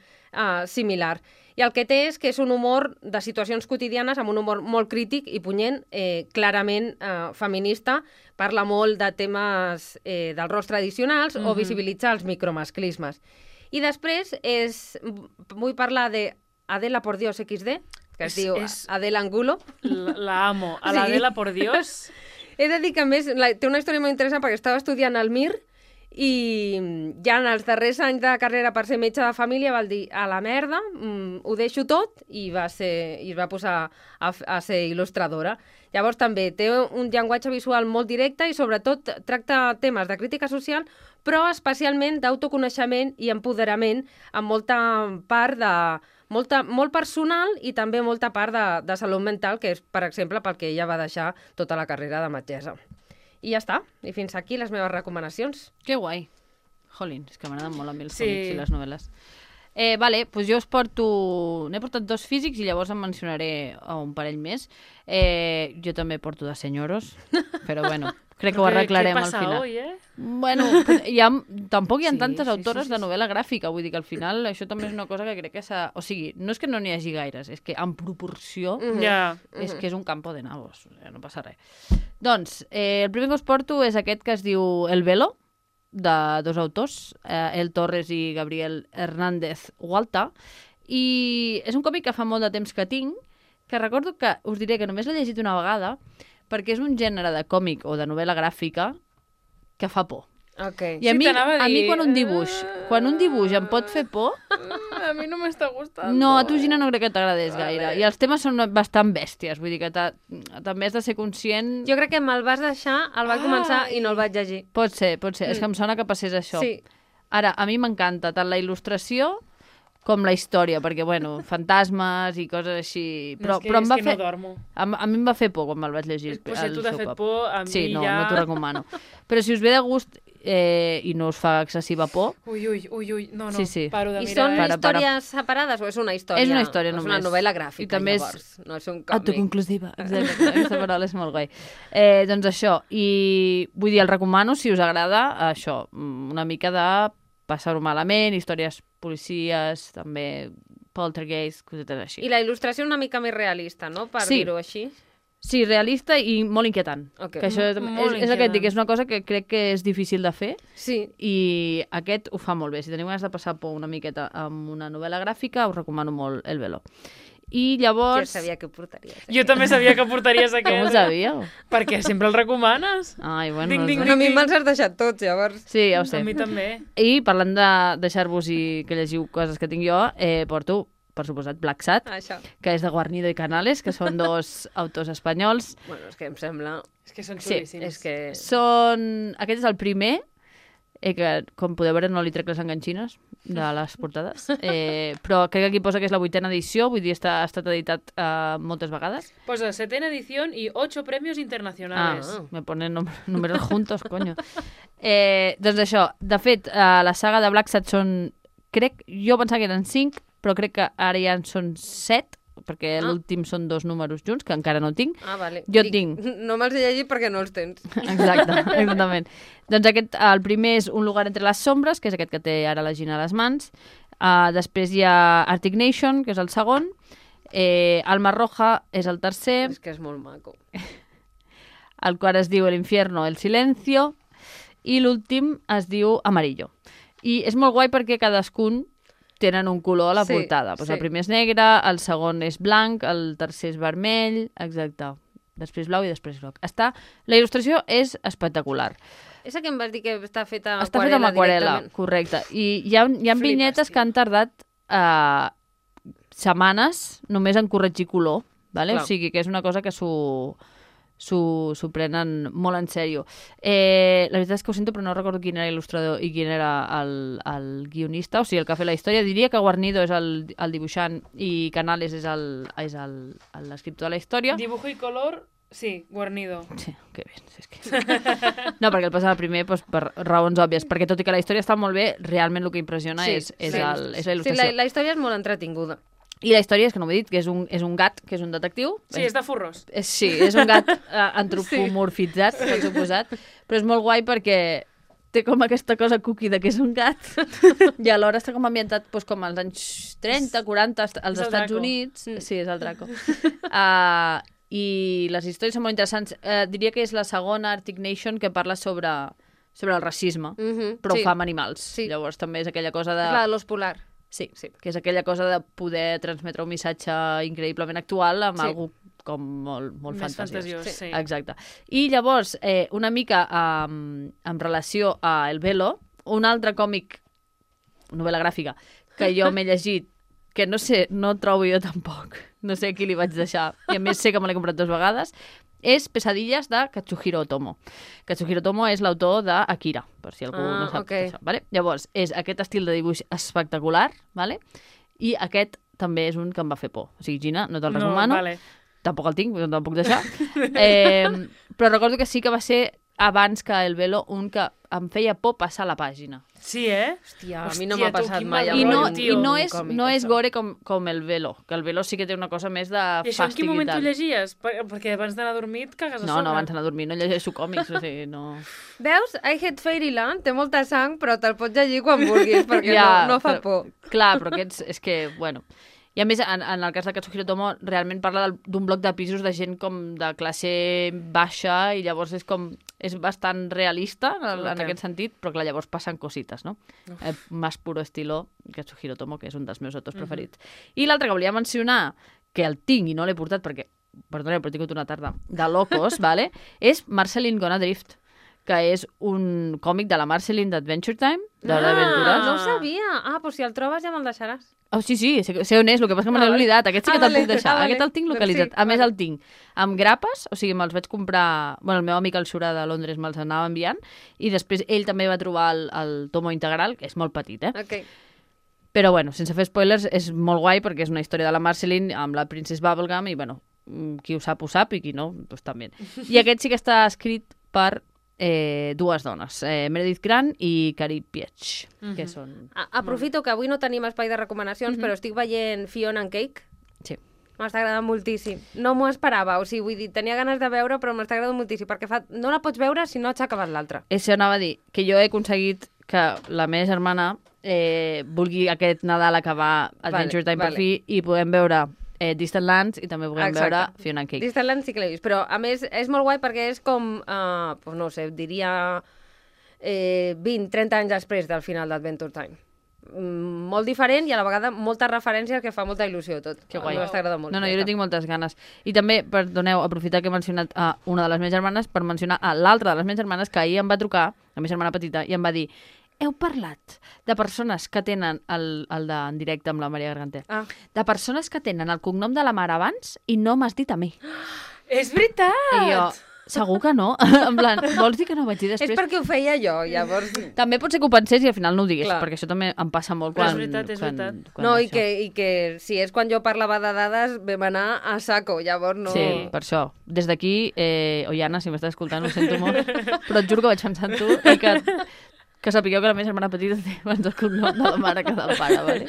similar. I el que té és que és un humor de situacions quotidianes amb un humor molt crític i punyent, clarament feminista, parla molt de temes dels rols tradicionals o visibilitzar els micromasclismes. I després vull parlar d'Adela por Dios XD, que es diu Adela Angulo. La amo. A l'Adela por Dios. He de dir que, a més, té una història molt interessant perquè estava estudiant al MIR i ja en els darrers anys de carrera per ser metge de família va dir a la merda, ho deixo tot, i es va posar a ser il·lustradora. Llavors també té un llenguatge visual molt directe i sobretot tracta temes de crítica social, però especialment d'autoconeixement i empoderament, amb molta part molt personal i també molta part de salut mental, que és, per exemple, pel que ella va deixar tota la carrera de metgessa. I ja està. I fins aquí les meves recomanacions. Que guai. Jolín, és que m'agraden molt a mi els còmics i les novel·les. Vale, doncs jo us porto... N'he portat 2 físics i llavors em mencionaré un parell més. Jo també porto de senyoros, però bueno, crec que ho arreglarem al final. Hoy, Bueno, tampoc hi ha tantes autores de novel·la gràfica, vull dir que al final això també és una cosa que crec que s'ha... O sigui, no és que no n'hi hagi gaires, és que en proporció és que és un campo de nabos, no passa res. Doncs, el primer que us porto és aquest que es diu El Velo, de 2 autors, El Torres i Gabriel Hernández Hualta, i és un còmic que fa molt de temps que tinc, que recordo que us diré que només l'he llegit una vegada, perquè és un gènere de còmic o de novel·la gràfica que fa por. Okay. I a mi quan un dibuix em pot fer por... A mi no m'està gustant. No, a tu, Gina, no crec que t'agradés gaire. I els temes són bastant bèsties, vull dir que també has de ser conscient... Jo crec que me'l vas deixar, el vaig començar i no el vaig llegir. Pot ser. És que em sona que passés això. Sí. Ara, a mi m'encanta tant la il·lustració com la història, perquè, bueno, fantasmes i coses així... Però em va fer... no dormo. A mi em va fer por quan me'l vaig llegir. Pues si tu t'ha fet por, a mi sí, no, ja... no t'ho recomano. Però si us ve de gust i no us fa excessiva por... Ui, no, sí. Paro de mirar. I són històries separades o és una història? És una història només. És una novel·la gràfica, I també llavors. No és un còmic. Autoconclusiva, exacte. Aquesta paraula és molt guai. Doncs això, i vull dir, el recomano si us agrada això, una mica de passar-ho malament, històries policies, també poltergeist, cosetes així. I la il·lustració una mica més realista, no? Per dir-ho així. Sí, realista i molt inquietant. Okay. Que això és el que et dic, és una cosa que crec que és difícil de fer. Sí. I aquest ho fa molt bé. Si teniu ganes de passar por una miqueta amb una novel·la gràfica, us recomano molt El Velo. I llavors... Jo sabia que portaries. Jo també sabia que portaries aquest. Com ho sabíeu? Perquè sempre el recomanes. Ai, bueno... A mi me'ls has deixat tots, llavors. Sí, ja ho sé. A mi també. I parlant de deixar-vos i que llegiu coses que tinc jo, porto, per suposat, Black Sat, que és de Guarnido i Canales, que són 2 autors espanyols. Bueno, és que em sembla... És que són xulíssims. És que... Aquest és el primer, que com podeu veure no li trec les enganxines de les portades, però crec que aquí posa que és la 8ª edició, vull dir, ha estat editat moltes vegades. Posa 7ª edición y 8 premios internacionales. Me ponen números juntos, coño. Doncs això, de fet, la saga de Black Sat són, jo pensava que eren 5, però crec que ara ja en són 7, perquè l'últim són 2 números junts, que encara no tinc. Vale. Jo tinc. No me'ls he llegit perquè no els tens. Exactament. Doncs el primer és Un lugar entre les sombres, que és aquest que té ara la Gina a les mans. Després hi ha Arctic Nation, que és el segon. Alma Roja és el tercer. És que és molt maco. El quart es diu El infierno, el silencio. I l'últim es diu Amarillo. I és molt guai perquè cadascun tenen un color a la portada. Pues el primer és negre, el segon és blanc, el tercer és vermell, exacte. Després blau i després groc. La il·lustració és espectacular. És que em vas dir que està feta amb aquarel·la, correcte. I hi ha vinyetes que han tardat setmanes només en corregir color, vale? O sigui que és una cosa que s'ho prenen molt en sèrio. La veritat és que ho sento, però no recordo quin era l'il·lustrador i quin era el guionista, o sigui, el que ha fet la història. Diria que Guarnido és el dibuixant i Canales és l'escriptor de la història. Dibujo i color, sí, Guarnido. Sí, que bé. És que... No, perquè el passa primer per raons òbvies, perquè tot i que la història està molt bé, realment el que impressiona és la il·lustració. Sí, la història és molt entretinguda. I la història és, que no m'he dit, que és un gat, que és un detectiu. Sí, és de furros. Sí, és un gat antropomorfitzat, per suposat, però és molt guai perquè té com aquesta cosa cookie de que és un gat i alhora està com ambientat com als anys 30, 40, als Estats Units. Sí, és el Draco. I les històries són molt interessants. Diria que és la segona Arctic Nation que parla sobre el racisme, però ho fa amb animals. Llavors també és aquella cosa de... És la de l'os polar. Sí, que és aquella cosa de poder transmetre un missatge increïblement actual amb algú com molt fantasiós. Sí. Exacte. I llavors, una mica en relació a El Velo, un altre còmic, novel·la gràfica, que jo m'he llegit, que no sé, no trobo jo tampoc, no sé a qui li vaig deixar, i a més sé que me l'he comprat 2 vegades, és Pesadilles de Katsuhiro Otomo. Katsuhiro Otomo és l'autor d'Akira, per si algú no sap això. Vale? Llavors, és aquest estil de dibuix espectacular, vale? I aquest també és un que em va fer por. O sigui, Gina, no te'l recomano. Vale. Tampoc el tinc, no te'l puc deixar. Però recordo que sí que va ser abans que El Velo un que em feia por passar la pàgina. Sí, Hòstia, a mi no m'ha passat mai. I no és gore com El Velo, que El Velo sí que té una cosa més de fàstic i tal. I això en quin moment tu llegies? Perquè abans d'anar a dormir et cagues a sobre. No, abans d'anar a dormir no llegeixo còmics, o sigui, no... Veus? I Hate Fairyland té molta sang, però te'l pots llegir quan vulguis, perquè no fa por. Clar, però aquests, és que, bueno... I a més, en el cas de Katsuhiro Otomo, realment parla d'un bloc de pisos de gent com de classe baixa i llavors és bastant realista en aquest sentit, però clar, llavors passen cosites, no? Más puro estilo Katsuhiro Otomo, que és un dels meus autors preferits. I l'altre que volia mencionar, que el tinc i no l'he portat perquè, perdoneu, però he tingut una tarda de locos, vale? És Marceline Gone Adrift, que és un còmic de la Marceline d'Adventure Time, d'Hora d'Aventures. No ho sabia. Doncs si el trobes ja me'l deixaràs. Oh, sí, sé on és, el que passa que me l'he oblidat. Aquest sí que te'l puc deixar. Aquest el tinc localitzat. A més, el tinc amb grapes, o sigui, me'ls vaig comprar... Bueno, el meu amic el Xura de Londres me'ls anava enviant, i després ell també va trobar el tomo integral, que és molt petit, Okay. Però, bueno, sense fer spoilers, és molt guai perquè és una història de la Marceline amb la Princess Bubblegum i, bueno, qui ho sap, i qui no, doncs també. I aquest sí que està escrit per... 2 dones, Meredith Grant i Carrie Pietsch, que són... Aprofito que avui no tenim espai de recomanacions, però estic veient Fiona and Cake. Sí. M'està agradant moltíssim. No m'ho esperava, o sigui, vull dir, tenia ganes de veure, però m'està agradant moltíssim, perquè no la pots veure si no has acabat l'altra. Això anava a dir, que jo he aconseguit que la meva germana vulgui aquest Nadal acabar Adventure Time per fi i podem veure Distant Lands i també podem veure Fiona and Cake. Distant Lands sí que l'he vist, però a més és molt guai perquè és com, no sé, diria 20-30 anys després del final d'Adventure Time. Molt diferent i a la vegada moltes referències que fa molta il·lusió tot. Que guai. M'està agradant molt. No, jo li tinc moltes ganes. I també, perdoneu, aprofitar que he mencionat a una de les meves germanes per mencionar a l'altra de les meves germanes que ahir em va trucar, la meva germana petita, i em va dir: heu parlat de persones que tenen el d'en directe amb la Maria Garganter, de persones que tenen el cognom de la mare abans i no m'has dit a mi. És veritat! I jo, Segur que no. En plan, vols dir que no ho vaig dir després? És perquè ho feia jo, llavors... També pot ser que ho pensés i al final no ho digués, Clar. perquè això també em passa molt Però quan... és veritat. No, i que si és quan jo parlava de dades, vam anar a saco, llavors no... Sí, per això. Des d'aquí, Oiana, si m'estàs escoltant, ho sento molt, però et juro que vaig pensar en tu i que sapigueu que la meva germana petita té abans el cognom de la mare que del pare, vale?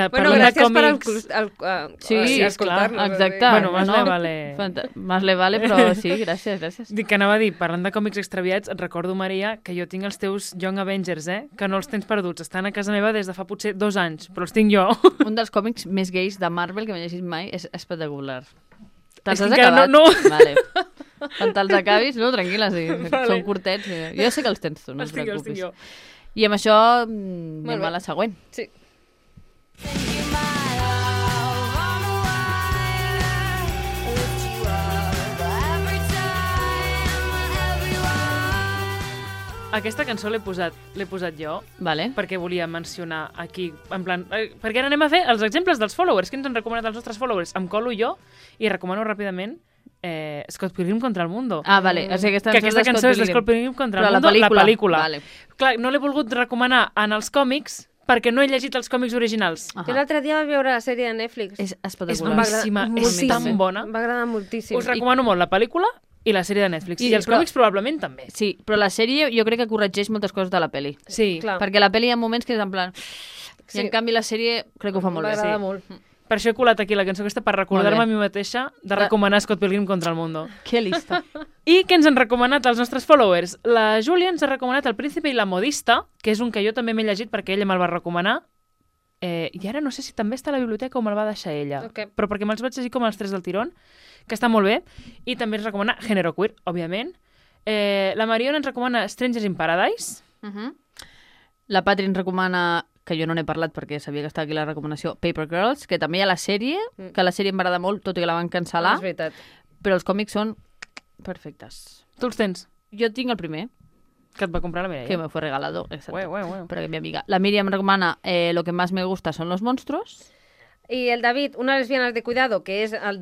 Bueno, gràcies per escoltar-nos. Exacte. Bueno, más le vale, però sí, gràcies. Dic que anava a dir, parlant de còmics extraviats, et recordo, Maria, que jo tinc els teus Young Avengers, que no els tens perduts. Estan a casa meva des de fa potser 2 anys, però els tinc jo. Un dels còmics més gais de Marvel que m'he llegit mai és espectacular. Te'ls has acabat? No. Vale. Quan te'ls acabis, no, tranquil·la, sí. Vale. Són curtets. Jo sé que els tens tu, no et preocupis. I amb això anem a la següent. Sí. Aquesta cançó l'he posat jo, vale. Perquè volia mencionar aquí, en plan, perquè ara anem a fer els exemples dels followers, que ens han recomanat els nostres followers. Em colo jo i recomano ràpidament Scott Pilgrim contra el Mundo. Ah, vale. O sigui, aquesta cançó és Scott Pilgrim contra el Mundo, la pel·lícula. Vale. Clar, no l'he volgut recomanar en els còmics perquè no he llegit els còmics originals. Jo l'altre dia vaig veure la sèrie de Netflix. És boníssima, és tan bona. Em va agradar moltíssim. Us recomano molt la pel·lícula i la sèrie de Netflix. I els còmics probablement també. Sí, però la sèrie jo crec que corregeix moltes coses de la pel·li. Sí. Clar. Perquè la pel·li hi ha moments que és en plan... I en canvi la sèrie crec que ho fa molt bé. M'agrada molt. Per això he colat aquí la cançó aquesta per recordar-me a mi mateixa de recomanar Scott Pilgrim contra el Mundo. Que lista. I què ens han recomanat els nostres followers? La Júlia ens ha recomanat El príncipe i la modista, que és un que jo també m'he llegit perquè ella me'l va recomanar. I ara no sé si també està a la biblioteca o me'l va deixar ella. Okay. Però perquè me'ls vaig llegir com els 3 del tirón, que està molt bé. I també ens recomana Género Queer, òbviament. La Mariona ens recomana Strangers in Paradise. La Patri ens recomana, que jo no n'he parlat perquè sabia que estava aquí la recomanació, Paper Girls, que també hi ha la sèrie, que la sèrie em va agradar molt, tot i que la van cancel·lar. És veritat. Però els còmics són perfectes. Tu els tens? Jo tinc el primer. Que et va comprar la Mireia. Que me fue regalado, exacto. Bueno. Pero que mi amiga. La Miriam recomana Lo que más me gusta son los monstruos. I el David, Unas lesbianes de cuidado, que és el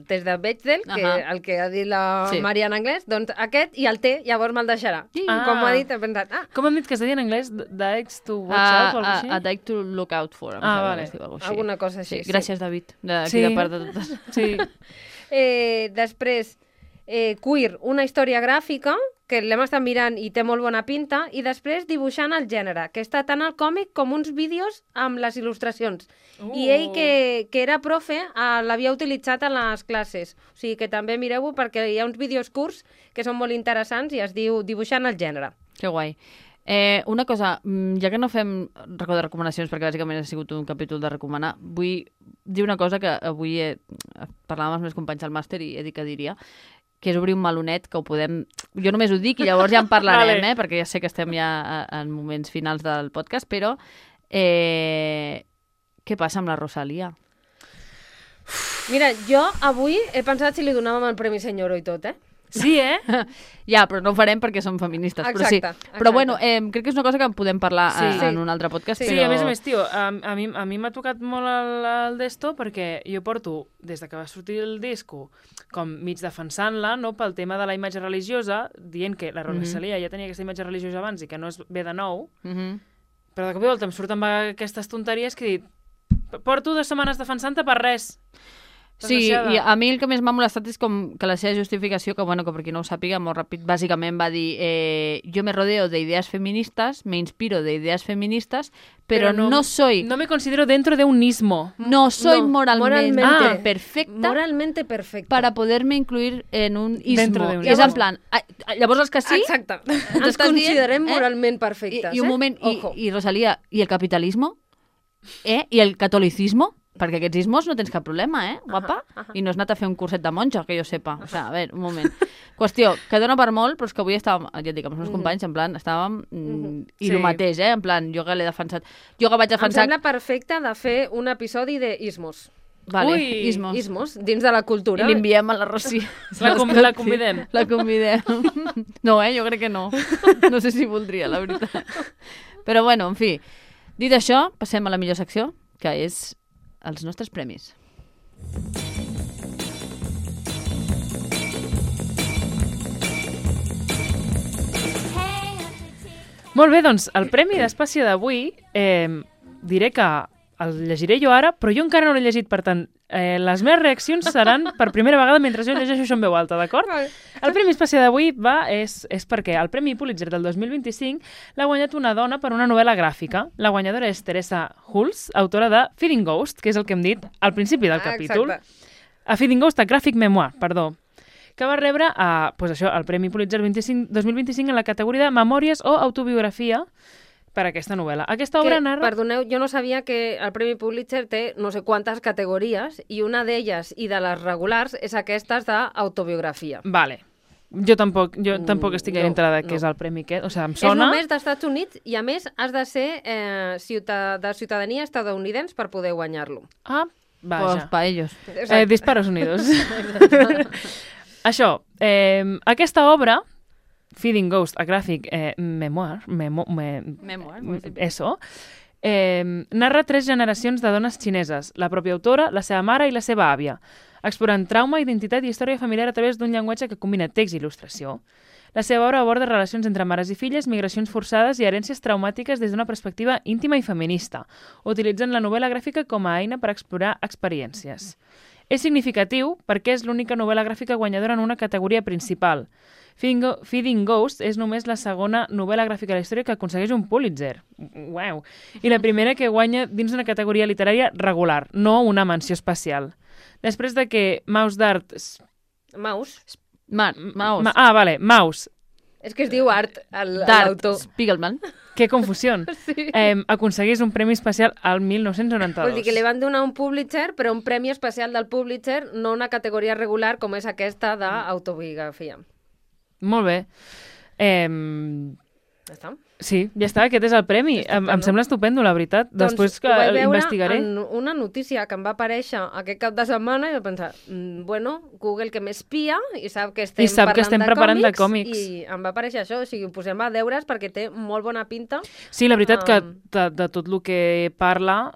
test de Bechdel, el que ha dit la Maria en anglès, doncs aquest i el té, llavors me'l deixarà. Com ho ha dit, he pensat... Com hem dit que es deia en anglès? Dykes to watch out o alguna cosa així? A Dyke to look out for. Vale. Alguna cosa així. Gràcies, David, d'aquí de part de totes. Sí. Després, Queer, una història gràfica, que l'hem estat mirant i té molt bona pinta, i després dibuixant el gènere, que està tant al còmic com uns vídeos amb les il·lustracions. I ell, que era profe, l'havia utilitzat en les classes. O sigui que també mireu-ho perquè hi ha uns vídeos curts que són molt interessants i es diu Dibuixant el gènere. Que guai. Una cosa, ja que no fem record de recomanacions, perquè bàsicament ha sigut un capítol de recomanar, vull dir una cosa que avui parlàvem amb els meus companys al màster i he dit que diria, que és obrir un melonet, que ho podem... Jo només ho dic i llavors ja en parlarem, perquè ja sé que estem ja en moments finals del podcast, però què passa amb la Rosalia? Mira, jo avui he pensat si li donàvem el Premi Senyoro i tot, Sí, Ja, però no ho farem perquè som feministes. Exacte, però sí. Però bueno, crec que és una cosa que en podem parlar en un altre podcast. Sí, però... a més, tio, a mi m'ha tocat molt el d'esto perquè jo porto, des de que va sortir el disco, com mig defensant-la, no, pel tema de la imatge religiosa, dient que la Rosalia ja tenia aquesta imatge religiosa abans i que no és bé de nou, però de cop i volta em surten aquestes tonteries que he dit, porto 2 setmanes defensant-te per res. Sí, i a mi el que més m'ha molestat és com que la seva justificació, que bueno, que per qui no ho sàpiga, molt ràpid, bàsicament va dir yo me rodeo de ideas feministas, me inspiro de ideas feministas, pero no soy... No me considero dentro de un ismo. No soy moralmente perfecta. Moralmente perfecta. Para poderme incluir en un ismo. Dentro de un ismo. És en plan... Llavors els que sí... Exacte. Ens considerem moralment perfectes. I un moment, i Rosalía, i el capitalismo? I el catolicismo? Perquè aquests ismos no tens cap problema, guapa? I no has anat a fer un curset de monja, que jo sepa. O sigui, a veure, un moment. Qüestió, que dona per molt, però és que avui estàvem, ja et dic, amb els meus companys, en plan, estàvem... I el mateix, en plan, jo que l'he defensat... Jo que vaig defensar... Em sembla perfecte de fer un episodi d'ismos. Vale, ismos. Ismos, dins de la cultura. I l'enviem a la Rossi. La convidem. La convidem. No, jo crec que no. No sé si voldria, la veritat. Però bueno, en fi. Dit això, passem a la millor secció, que és els nostres premis. Molt bé, doncs, el Premi d'Espàcia d'avui diré que el llegiré jo ara, però jo encara no l'he llegit, per tant, les meves reaccions seran per primera vegada mentre jo llegeixo això en veu alta, d'acord? El Premi Espàcia d'avui és perquè el Premi Pulitzer del 2025 l'ha guanyat una dona per una novel·la gràfica. La guanyadora és Teresa Hulse, autora de Feeding Ghost, que és el que hem dit al principi del capítol. Exacte. A Feeding Ghost, a Graphic Memoir, perdó, que va rebre el Premi Pulitzer 2025 en la categoria de Memòries o Autobiografia per aquesta novel·la. Aquesta obra narra... Perdoneu, jo no sabia que el Premi Pulitzer té no sé quantes categories i una d'elles, i de les regulars, és aquestes d'autobiografia. Vale. Jo tampoc estic gaire entrada de què és el premi aquest. O sigui, em sona... És només dels Estats Units i, a més, has de ser de ciutadania estadounidense per poder guanyar-lo. Ah, vaja. Pues pa ellos. Disparos Unidos. Això, aquesta obra, Feeding Ghost, a Graphic Memoir, eso, narra 3 generacions de dones xineses, la pròpia autora, la seva mare i la seva àvia, explorant trauma, identitat i història familiar a través d'un llenguatge que combina text i il·lustració. La seva obra aborda relacions entre mares i filles, migracions forçades i herències traumàtiques des d'una perspectiva íntima i feminista, utilitzant la novel·la gràfica com a eina per explorar experiències. És significatiu perquè és l'única novel·la gràfica guanyadora en una categoria principal. Feeding Ghost és només la segona novel·la gràfica de la història que aconsegueix un Pulitzer. Uau! I la primera que guanya dins una categoria literària regular, no una menció especial. Després de que Mouse Dart... Mouse? Mouse. Vale, Mouse. És que es diu Art, l'autor. l'autor. Spiegelman. Que confusió. Sí. Aconseguís un premi especial al 1992. Vol dir que li van donar un Pulitzer, però un premi especial del Pulitzer, no una categoria regular com és aquesta d'autobiografia. Molt bé. Ja està. Sí, ja està, aquest és el premi. Em sembla estupendo, la veritat. Doncs després que ho vaig veure investigaré. en una notícia que em va aparèixer aquest cap de setmana i vaig pensar, bueno, Google que m'espia i sap que estem preparant de còmics. I em va aparèixer això, o sigui, ho posem a deures perquè té molt bona pinta. Sí, la veritat que de tot el que parla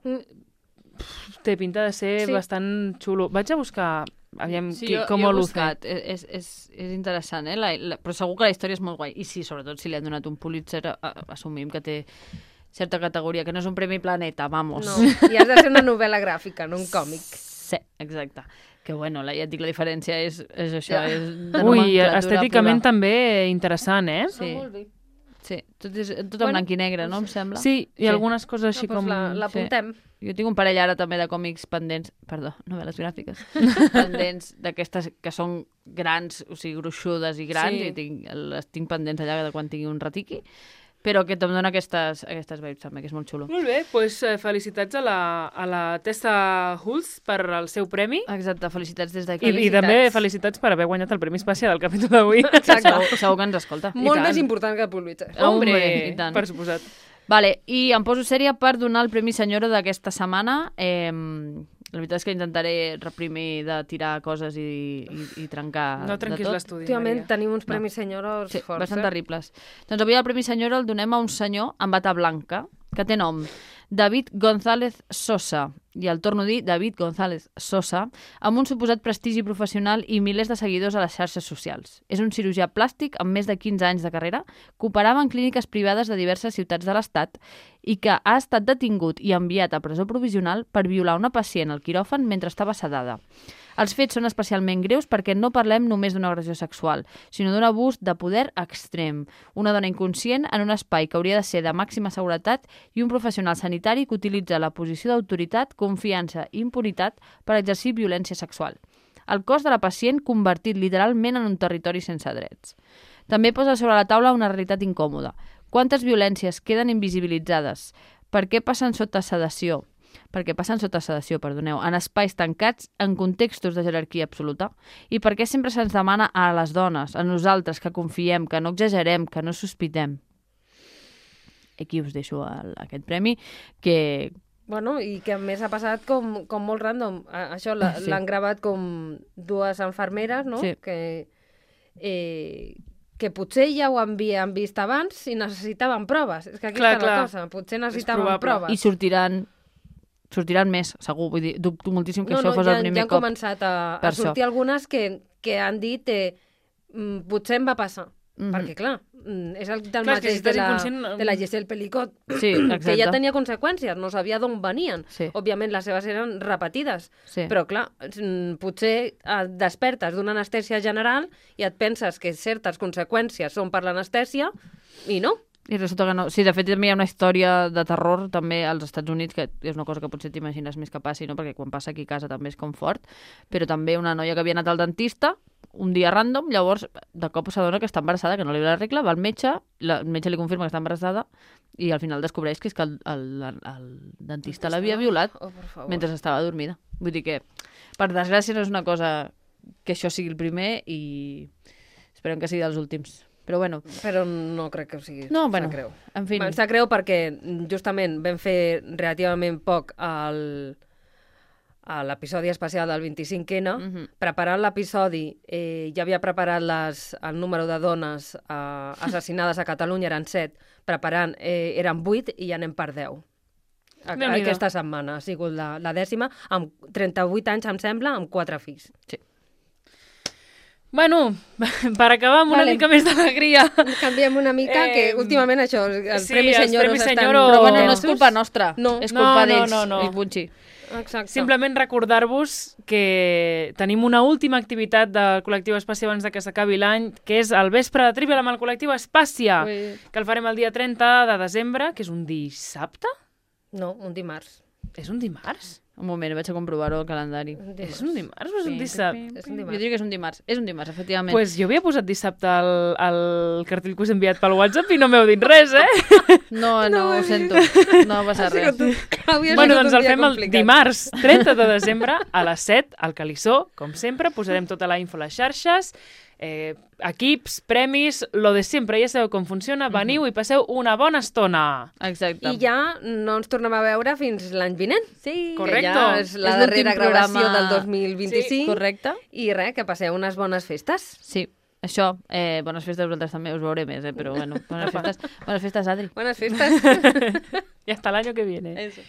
té pinta de ser bastant xulo. Vaig a buscar... Aviam, com ho luce. És interessant, però segur que la història és molt guai. I sí, sobretot si li han donat un Pulitzer, assumim que té certa categoria, que no és un premi Planeta, vamos. No, i has de ser una novel·la gràfica, no un còmic. Sí, exacte. Que bueno, ja et dic, la diferència és això. És de Ui, estèticament també interessant, eh? Sí. Molt bé. Sí, tot en blanc i negre, no? Em sembla. Sí, i algunes coses així com... L'apuntem. Jo tinc un parell ara també de còmics pendents, perdó, novel·les gràfiques, pendents d'aquestes que són grans, o sigui, gruixudes i grans, i les tinc pendents allà de quan tingui un ratiqui, però que em dona aquestes vibes també, que és molt xulo. Molt bé, doncs felicitats a la Tessa Hulse per el seu premi. Exacte, felicitats des d'aquí. I també felicitats per haver guanyat el Premi Espàcia del capítol d'avui. Segur que ens escolta. Molt més important que el Pulitzer. Hombre, per suposat. Vale, i em poso sèria per donar el Premi Senyora d'aquesta setmana. La veritat és que intentaré reprimir de tirar coses i trencar no trenquis l'estudi, Maria. Últimament tenim uns Premis Senyoros forts. Bastant terribles. Doncs avui el Premi Senyora el donem a un senyor amb bata blanca, que té nom David González Sosa, i el torno a dir David González Sosa, amb un suposat prestigi professional i milers de seguidors a les xarxes socials. És un cirurgià plàstic amb més de 15 anys de carrera que operava en clíniques privades de diverses ciutats de l'Estat i que ha estat detingut i enviat a presó provisional per violar una pacient al quiròfan mentre estava sedada. Els fets són especialment greus perquè no parlem només d'una agressió sexual, sinó d'un abús de poder extrem. Una dona inconscient en un espai que hauria de ser de màxima seguretat i un professional sanitari que utilitza la posició d'autoritat, confiança i impunitat per exercir violència sexual. El cos de la pacient convertit literalment en un territori sense drets. També posa sobre la taula una realitat incòmoda. Quantes violències queden invisibilitzades? Per què passen sota sedació? En espais tancats, en contextos de jerarquia absoluta, i per què sempre se'ns demana a les dones, a nosaltres, que confiem, que no exagerem, que no sospitem. Aquí us deixo aquest premi, que... Bueno, i que a més ha passat com molt random. Això l'han gravat com dues infermeres, no? Sí. Que potser ja ho havien vist abans i necessitaven proves. És que aquí està la cosa. Potser necessitaven proves. I sortiran més, segur. Vull dir, dubto moltíssim que això fos el primer cop. Ja han començat a sortir algunes que han dit potser em va passar. Perquè, clar, és el del mateix de la Giselle Pelicot, que ja tenia conseqüències, no sabia d'on venien. Òbviament, les seves eren repetides, però, clar, potser et despertes d'una anestèsia general i et penses que certes conseqüències són per l'anestèsia i no. I resulta que no. Sí, de fet, també hi ha una història de terror també als Estats Units, que és una cosa que potser t'imagines més que passi, no? Perquè quan passa aquí a casa també és com fort, però també una noia que havia anat al dentista un dia random, llavors de cop s'adona que està embarassada, que no li ve la regla, va al metge, el metge li confirma que està embarassada i al final descobreix que és que el dentista l'havia violat mentre estava dormida. Vull dir que, per desgràcia, no és una cosa que això sigui el primer i esperem que sigui dels últims. Però bueno. Però no crec que ho sigui. No, bueno, en fi. Em sap greu perquè justament vam fer relativament poc a l'episodi especial del 25N. Preparant l'episodi, ja havia preparat el número de dones assassinades a Catalunya, eren 7. Preparant, eren 8 i ja anem per 10. Aquesta setmana ha sigut la 10ª, amb 38 anys, em sembla, amb 4 fills. Sí. Bueno, per acabar amb una mica més d'alegria. Canviem una mica, que últimament això, els Premis Senyoros estan... Però bueno, no és culpa nostra, és culpa d'ells, el Bunchi. Exacte. Simplement recordar-vos que tenim una última activitat del col·lectiu Espàcia abans que s'acabi l'any, que és el vespre de Trivial amb el col·lectiu Espàcia, que el farem el dia 30 de desembre, que és un dissabte? No, un dimarts. És un dimarts? Un moment, vaig a comprovar-ho al calendari. És un dimarts o és un dissabte? Jo diria que és un dimarts. És un dimarts, efectivament. Pues jo havia posat dissabte al cartell que us he enviat pel WhatsApp i no m'heu dit res, No, ho sento. No passa res. Bueno, doncs el fem el dimarts 30 de desembre a les 7 al Calissó. Com sempre, posarem tota la info a les xarxes. Equips, premis, lo de sempre, ja sabeu com funciona, veniu i passeu una bona estona. Exacte. I ja no ens tornem a veure fins l'any vinent. Sí, correcte. Que ja és la darrera gravació del 2025. Sí, correcte. I res, que passeu unes bones festes. Sí, això, bones festes a vosaltres també, us veuré més, però bueno, bones festes, Adri. Buenas festas. Y hasta el año que viene. Eso.